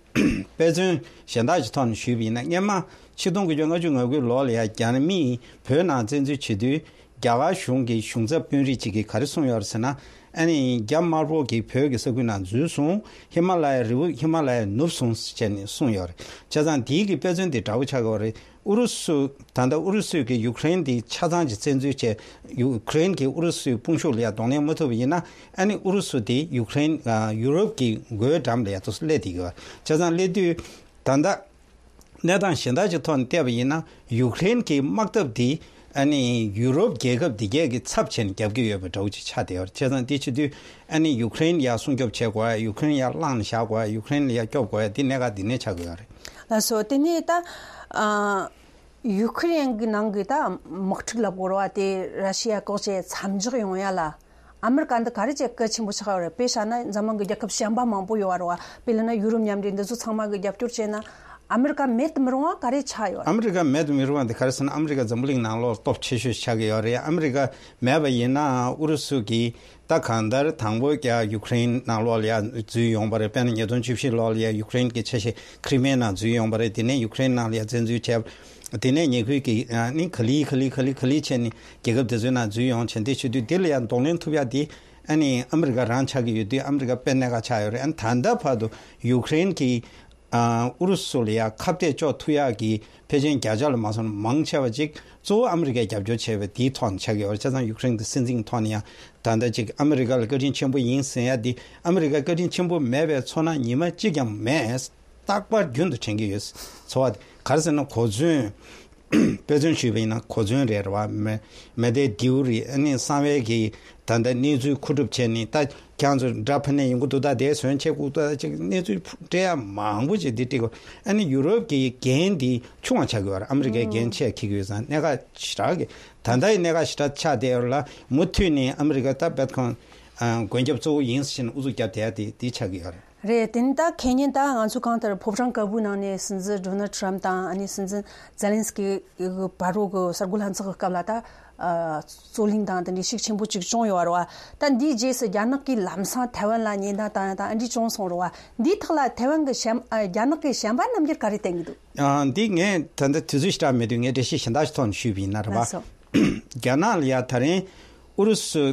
དཔེ་མཚོན་གཞན་དག་ཅིག་ཐོག་ནས་ཞུས་པ་ཡིན་ན། སྔོན་མ་ཆིག་སྟོང་དགུ་བརྒྱ་ལྔ་བཅུ་ང་དགུའི་ལོ་ལ་ཡ་རྒྱ་མིས་བོད་ནང་བཙན་འཛུལ་བྱེད་དུས། རྒྱ་གར་གཞུང་གི་གཞུང་ཚབ་དཔོན་རིགས་གཅིག་གིས་ག་རེ་གསུངས་ཡོད་རེད་ཟེར་ན། ཨ་ནི་རྒྱ་དམར་པོ་གིས་བོད་ཀྱི་ས་ཁུལ་ནང་འཛུལ་སོང་། ཧི་མ་ལ་ཡའི་རི་བོ་ཧི་མ་ལ་ཡ་ནུབ་སོང་ཟེར་ནས་གསུངས་ཡོད་རེད། བྱས་ཙང་དེའི་གི་དཔེ་མཚོན་དེ་འདྲ་བོ་ཆགས་ཀྱི་ཡོད་རེད། ཨུ་རུ་སུ། ད་ལྟ་ཨུ་རུ་སུས་ཀྱི་ཡུ་ཁུ་རེན་དེ་ཆ་ཚང་ཅིག་བཙན་འཛུལ་བྱས། ཡུ་ཁུ་རེན་གྱིས་ཨུ་རུ་སུའི་དཔུང་ཤུགས་ལ་ཡ་གདོང་ལེན་མ་ཐུབ་པ་ཡིན་ན། ཨ་ནི་ཨུ་རུ་སུ་དེ་ཡུ་ཁུ་རེན་ཨ་ཡུ་རོབ་ཀྱི་མགོའི་འགྲམ་ལ་ཡ་ཏོག་ཙམ་སླེབས་བསྡད་ཀྱི་ཡོད། བྱས་ཙང་སླེབས་དུས་ད་ལྟ་གནས་སྟངས་གཞན་དག་ཅིག་ཐོག་ནས་བལྟས་པ་ཡིན་ན། ཡུ་ཁུ་རེན་གྱི་དམག་འཐབ་དེ་ཨ་ནི་ཡུ་རོབ་རྒྱལ་ཁབ་དེ་གས་ཀྱི་ཚབ་བྱས་ནས་རྒྱབ་ཀྱི་ཡོད་པའི་འདྲ་བོ་ཅིག་ཆགས་བསྡད་ཡོད་རེད། བྱས་ཙང་དེ་བྱེད་དུས་ཨ་ནི་ཡུ་ཁུ་རེན་ཡར་སྲུང་སྐྱོབ་བྱེད་དགོས་ཡ། ཡུ་ཁུ་རེན་ཡར་བླངས་ནས་བཞག་དགོས་ཡ། ཡུ་ཁུ་རེན་ལ་ཡར་སྐྱོབ་དགོས་ཡ། དེ་གནད་འགག་དེ་ནས་ཆགས་ཀྱི་ཡོད་རེད། ལགས་སོ། དེ་ནས་ད་ཨ་ཡུ་ཁུ་རེན་གྱི་ནང་གི་ད་དམག་འཁྲུག་ལབ་དགོས་རེད་བ། དེ་ར་ཤི་ཡ་བཀག་ཆ་མཚམས་འཇོག་ཡོང་ཡ་ལ་ཨ་མི་རི་ཀ་འདི་ག་རེ་བྱས་གལ་ཆེན་པོ་ཆགས་ཡོད་རེད། དཔེ་བཞག་ན་འཛམ་གླིང་གི་རྒྱལ་ཁབ་གཞན་པ་མང་པོ་ཡོད་རེད་བ། དཔེ་ལབ་ན་ཡུ་རོབ་མཉམ་འབྲེལ་འདི་ཚོ་ཚང་མ་གི་རྒྱབ་སྐྱོར་བྱས་ན་ཨ་མི་རི་ཀ་མེད་དུ་མི་རུང་བ་ག་རེ་ཆགས་ཡོད་རེད། ཨ་མི་རི་ཀ་མེད་དུ་མི་རུང་བ་འདི་ག་རེ་ཟེར་ན། ཨ་མི་རི་ཀ་འཛམ་བུ་གླིང་ནང་ལོགས་སྟོབས་ཆེ་ཤོས་ཆགས་ཀྱི་ཡོད་རེད། ཨ་མི་རི་ཀ་མེད་པ་ཡིན་ན་ཨུ་རུ་སུ་གིས་ད་གང་ལྟར་དང་པོ་རྒྱ་ཡུ་ཁུ་རེན་ནང་ལོགས་ལ་ཡ་འཛུལ་ཡོང་བ་རེད། དཔེར་ན་ཉིས་སྟོང་བཅུ་བཞི་ལོ་ལ་ཡ་ཡུ་ཁུ་རེན་གྱི་ཆ་ཤས་ཁི་རི་མེ་ནང་འཛུལ་ཡོང་བ་རེད། དེ་ནས་ཡུ་ཁུ་རེན་ནང་ལ་ཡ་བཙན་འཛུལ་བྱས། དེ་ནས་ཉེ་ཁུལ་གྱི་ཨ་ནི་ག་ལེ་ག་ལེ་ག་ལེ་ག་ལེ་བྱས་ནས་རྒྱལ་ཁབ་དེ་ཚོའི་ནང་འཛུལ་ཡོང་བྱས། དེ་བྱེད་དུས་དེ་ལ་ཡང་གདོང་ལེན་ཐུབ་ཡ་དེ་ཨ་ནི་ཨ་མི་རི་ཀ་རང་ཆགས་ཀྱི་ཡོད་དུས། ཨ་མི་རི་ཀ་དཔེ་གནད་འགག་ཆགས་ཡོད་རེད། ཨ་ནི་ད་ལྟ་བར་དུ་ཡུ་ཁུ་རེན་གྱིས་ཨ་ཨུ་རུ་སུ་ལ་ཡ་ཁ་གཏད་གཅོག་ཐུབ་ཡག་གི་ཕལ་ཆེར་བརྒྱ་ཆ་ལ་མ་སོང་ན་མང་ཆེ་བ་ཅིག་གཙོ་བོ་ཨ་མི་རི་ཀས་རྒྱབ་སྐྱོར་བྱས་པའི་དེའི་ཐོག་ནས་ཆགས་ཀྱི་ཡོད་རེད། བྱས་ཙང་ཡུ་ཁུ་རེན་གྱི་སྲིད་འཛིན་གྱི་ཐོག་ནས་ཡང་ད་ལྟ་ཅིག་ཨ་མི་རི་ཀ་ལ་བཀའ་དྲིན་ཆེན་པོ་ཡིན་ཟེར་ཡ་དེ། ཨ་མི་རི་ཀ་བཀའ་དྲིན་ཆེན་པོ་མེད་པའི་ཚོར་སྣང་ཉི་མ་གཅིག་ཀྱང་མེད། རྟག་པར་རྒྱུན་དུ་དྲན་གྱི་ཡོད། ཚོར་བ་དེ་ག་རེ་ཟེར་ན། གོ་མཚོན། དཔེ་མཚོན་ཞུས་པ་ཡིན་ན་གོ་མཚོན་རེད་བ། མེ་མེ་མདའི་མདེའུ་རེད། ཨ་ནི་གསང་བའི་གི་ད་ལྟ་གནས་ཚུལ་མཁོ་སྒྲུབ་བྱས་ནས། ད་ཁྱེད་ཚོ་འདྲ་ཕ་ནས་ཡོང་གི་འདུག་ད་དེ་བཟོས་བྱས་ཁུག་ད་ཅིག་གནས་ཚུལ་སྤྲད་ཡ་མང་པོ་ཅིག་འདི་སྤྲད་གོ། ཨ་ནི་ཡུ་རོབ་ཀྱི་འགན་འདི་ཆུང་བ་ཆགས་ཀྱི་ཡོད་རེད། ཨ་མི་རི་ཀའི་འགན་ཆེ་འཁྱེར་གྱི་ཡོད་ཙང་། གནད་འགག་ཞེ་དྲག་གི་ད་ལྟ་ཡི་གནད་འགག་ཞེ་དྲག་ཆགས་བསྡད་ཡོད་རེད་ལ། མུ་མཐུད་ནས་ཨ་མི་རི་ཀ་ད་རྦད་ཁོང་ཨ་མགོན་སྐྱབས་གཙོ་བོ་ཡིན་ཟེར་ནས་ཨུ་ཚུགས་བརྒྱབ་བསྡད་ཡ་དེ་འདི་ཆགས་ཀྱི་ཡོད་རེད། རེད། དེ་ནི་ད་ཁེ་ཉིན་ད་ང་ཚོ་གང་ལྟར་ཕོ་བྲང་དཀར་པོའི་ནང་ནས་སྲིད་འཛིན་ཌོ་ནལ་ཊམ་དང་། ཨ་ནི་སྲིད་འཛིན་ཛེ་ལན་སི་ཀི་གི་བར་རོ་གི་གསར་འགོད་ལྷན་ཚོགས་ཀྱི་སྐབས་ལ་ད་ རྩོད་གླེང་དང་དེ་འདྲའི་ཤུགས་ཆེན་པོ་ཅིག་བྱུང་ཡོད་རེད་བ། ད་འདིའི་རྗེས་སུ་རྒྱ་ནག་གིས་ལམ་སང་ཐའེ་ཝན་ལ་ཉེན་བརྡ་བཏང་ཡ་དང་ཨ་འདྲ་བྱུང་སོང་རེད་བ། འདིའི་ཐོག་ལ་ཐའེ་ཝན་གྱི་བྱམས་ཨ་རྒྱ་ནག་གི་བྱམས་པ་རྣམ་འགྱུར་ག་རེ་བསྟན་གྱི་འདུག་ཨ། འདི་ངས་ད་ལྟ་དུས་ཚོད་ཞེ་དྲག་མེད་དུས་ངས་འགྲེལ་བཤད་གཞན་དག་ཞིག་ཐོག་ནས་ཞུས་པ་ཡིན་ན་རེད་བ། ལགས་སོ། རྒྱ་ནག་ལ་ཡ་ད་རིང་ཨུ་རུ་སུ་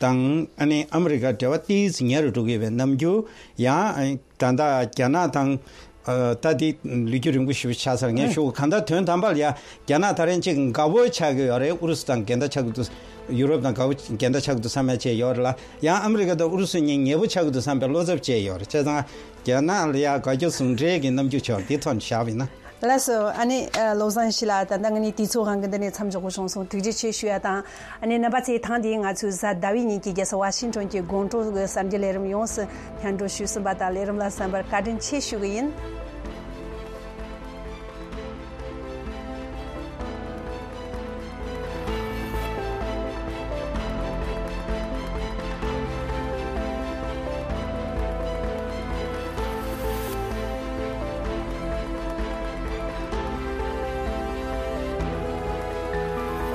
དང་ཨ་ནི་ཨ་མི་རི་ཀ་འབྲེལ་བ་ཏོག་ཙམ་ཉེ་རུ་འགྲོ་གི་ཡོད་པའི་རྣམ་འགྱུར། ཡང་ད་ལྟ་རྒྱ་ནག་དང་། ཨ། ད་འདི་ལོ་རྒྱུས་རིང་པོ་ཞིག་ཆགས་ཚར། ངས་ཞུ་གང་ལྟར་དོན་དམ་པར་ཡ་རྒྱ་ནག་ད་རིང་ཅིག་དགའ་པོ་ཆགས་ཀྱི་ཡོད་རེད། ཨུ་རུ་སུ་དང་འགལ་ཟླ་ཆགས་ཀྱི་འདུག་ཡུ་རོབ་དང་དགའ་པོ་འགལ་ཟླ་ཆགས་ཀྱི་འདུག་བསམ་ཡ་བྱས་ཡོད་རེད་ལ། ཡང་ཨ་མི་རི་ཀ་དང་ཨུ་རུ་སུ་གཉིས་ཉེ་པོ་ཆགས་ཀྱི་འདུག་བསམ་པའི་བློ་འཚབ་བྱས་ཡོད་རེད། བྱས་ཙང་རྒྱ་ནག་ལ་ཡ་དགའ་སྐྱོ་ཟུང་འབྲེལ་གྱི་རྣམ་འགྱུར་ཆགས་འདི་ཐོག་ནས་བཞག་པ་ཡིན་ན། ལགས་སོ། ཨ་ནི་བློ་བཟང་ཡེ་ཤེས་ལགས། ད་ལྟ་ང་གཉིས་དུས་ཚོད་དབང་གིས་འདི་ནས་མཚམས་འཇོག་དགོས་བྱུང་སོང་། ཐུགས་རྗེ་ཆེ་ཞུ་ཡ་དང་། ཨ་ནི་རྣམ་པ་ཚོས་ཐེངས་འདིའི་ང་ཚོའི་གཟའ་ཟླ་བའི་ཉིན་གྱི་རྒྱལ་ས་ཝ་ཤིང་ཊོན་གྱི་དགོང་དྲོ་གི་གསར་འགྱུར་ལས་རིམ་ཡོངས་སུ་སྙན་སྒྲོན་ཞུས་ཟིན་པ་དང་ལས་རིམ་ལ་གསན་པར་བཀའ་དྲིན་ཆེ་ཞུ་གི་ཡིན།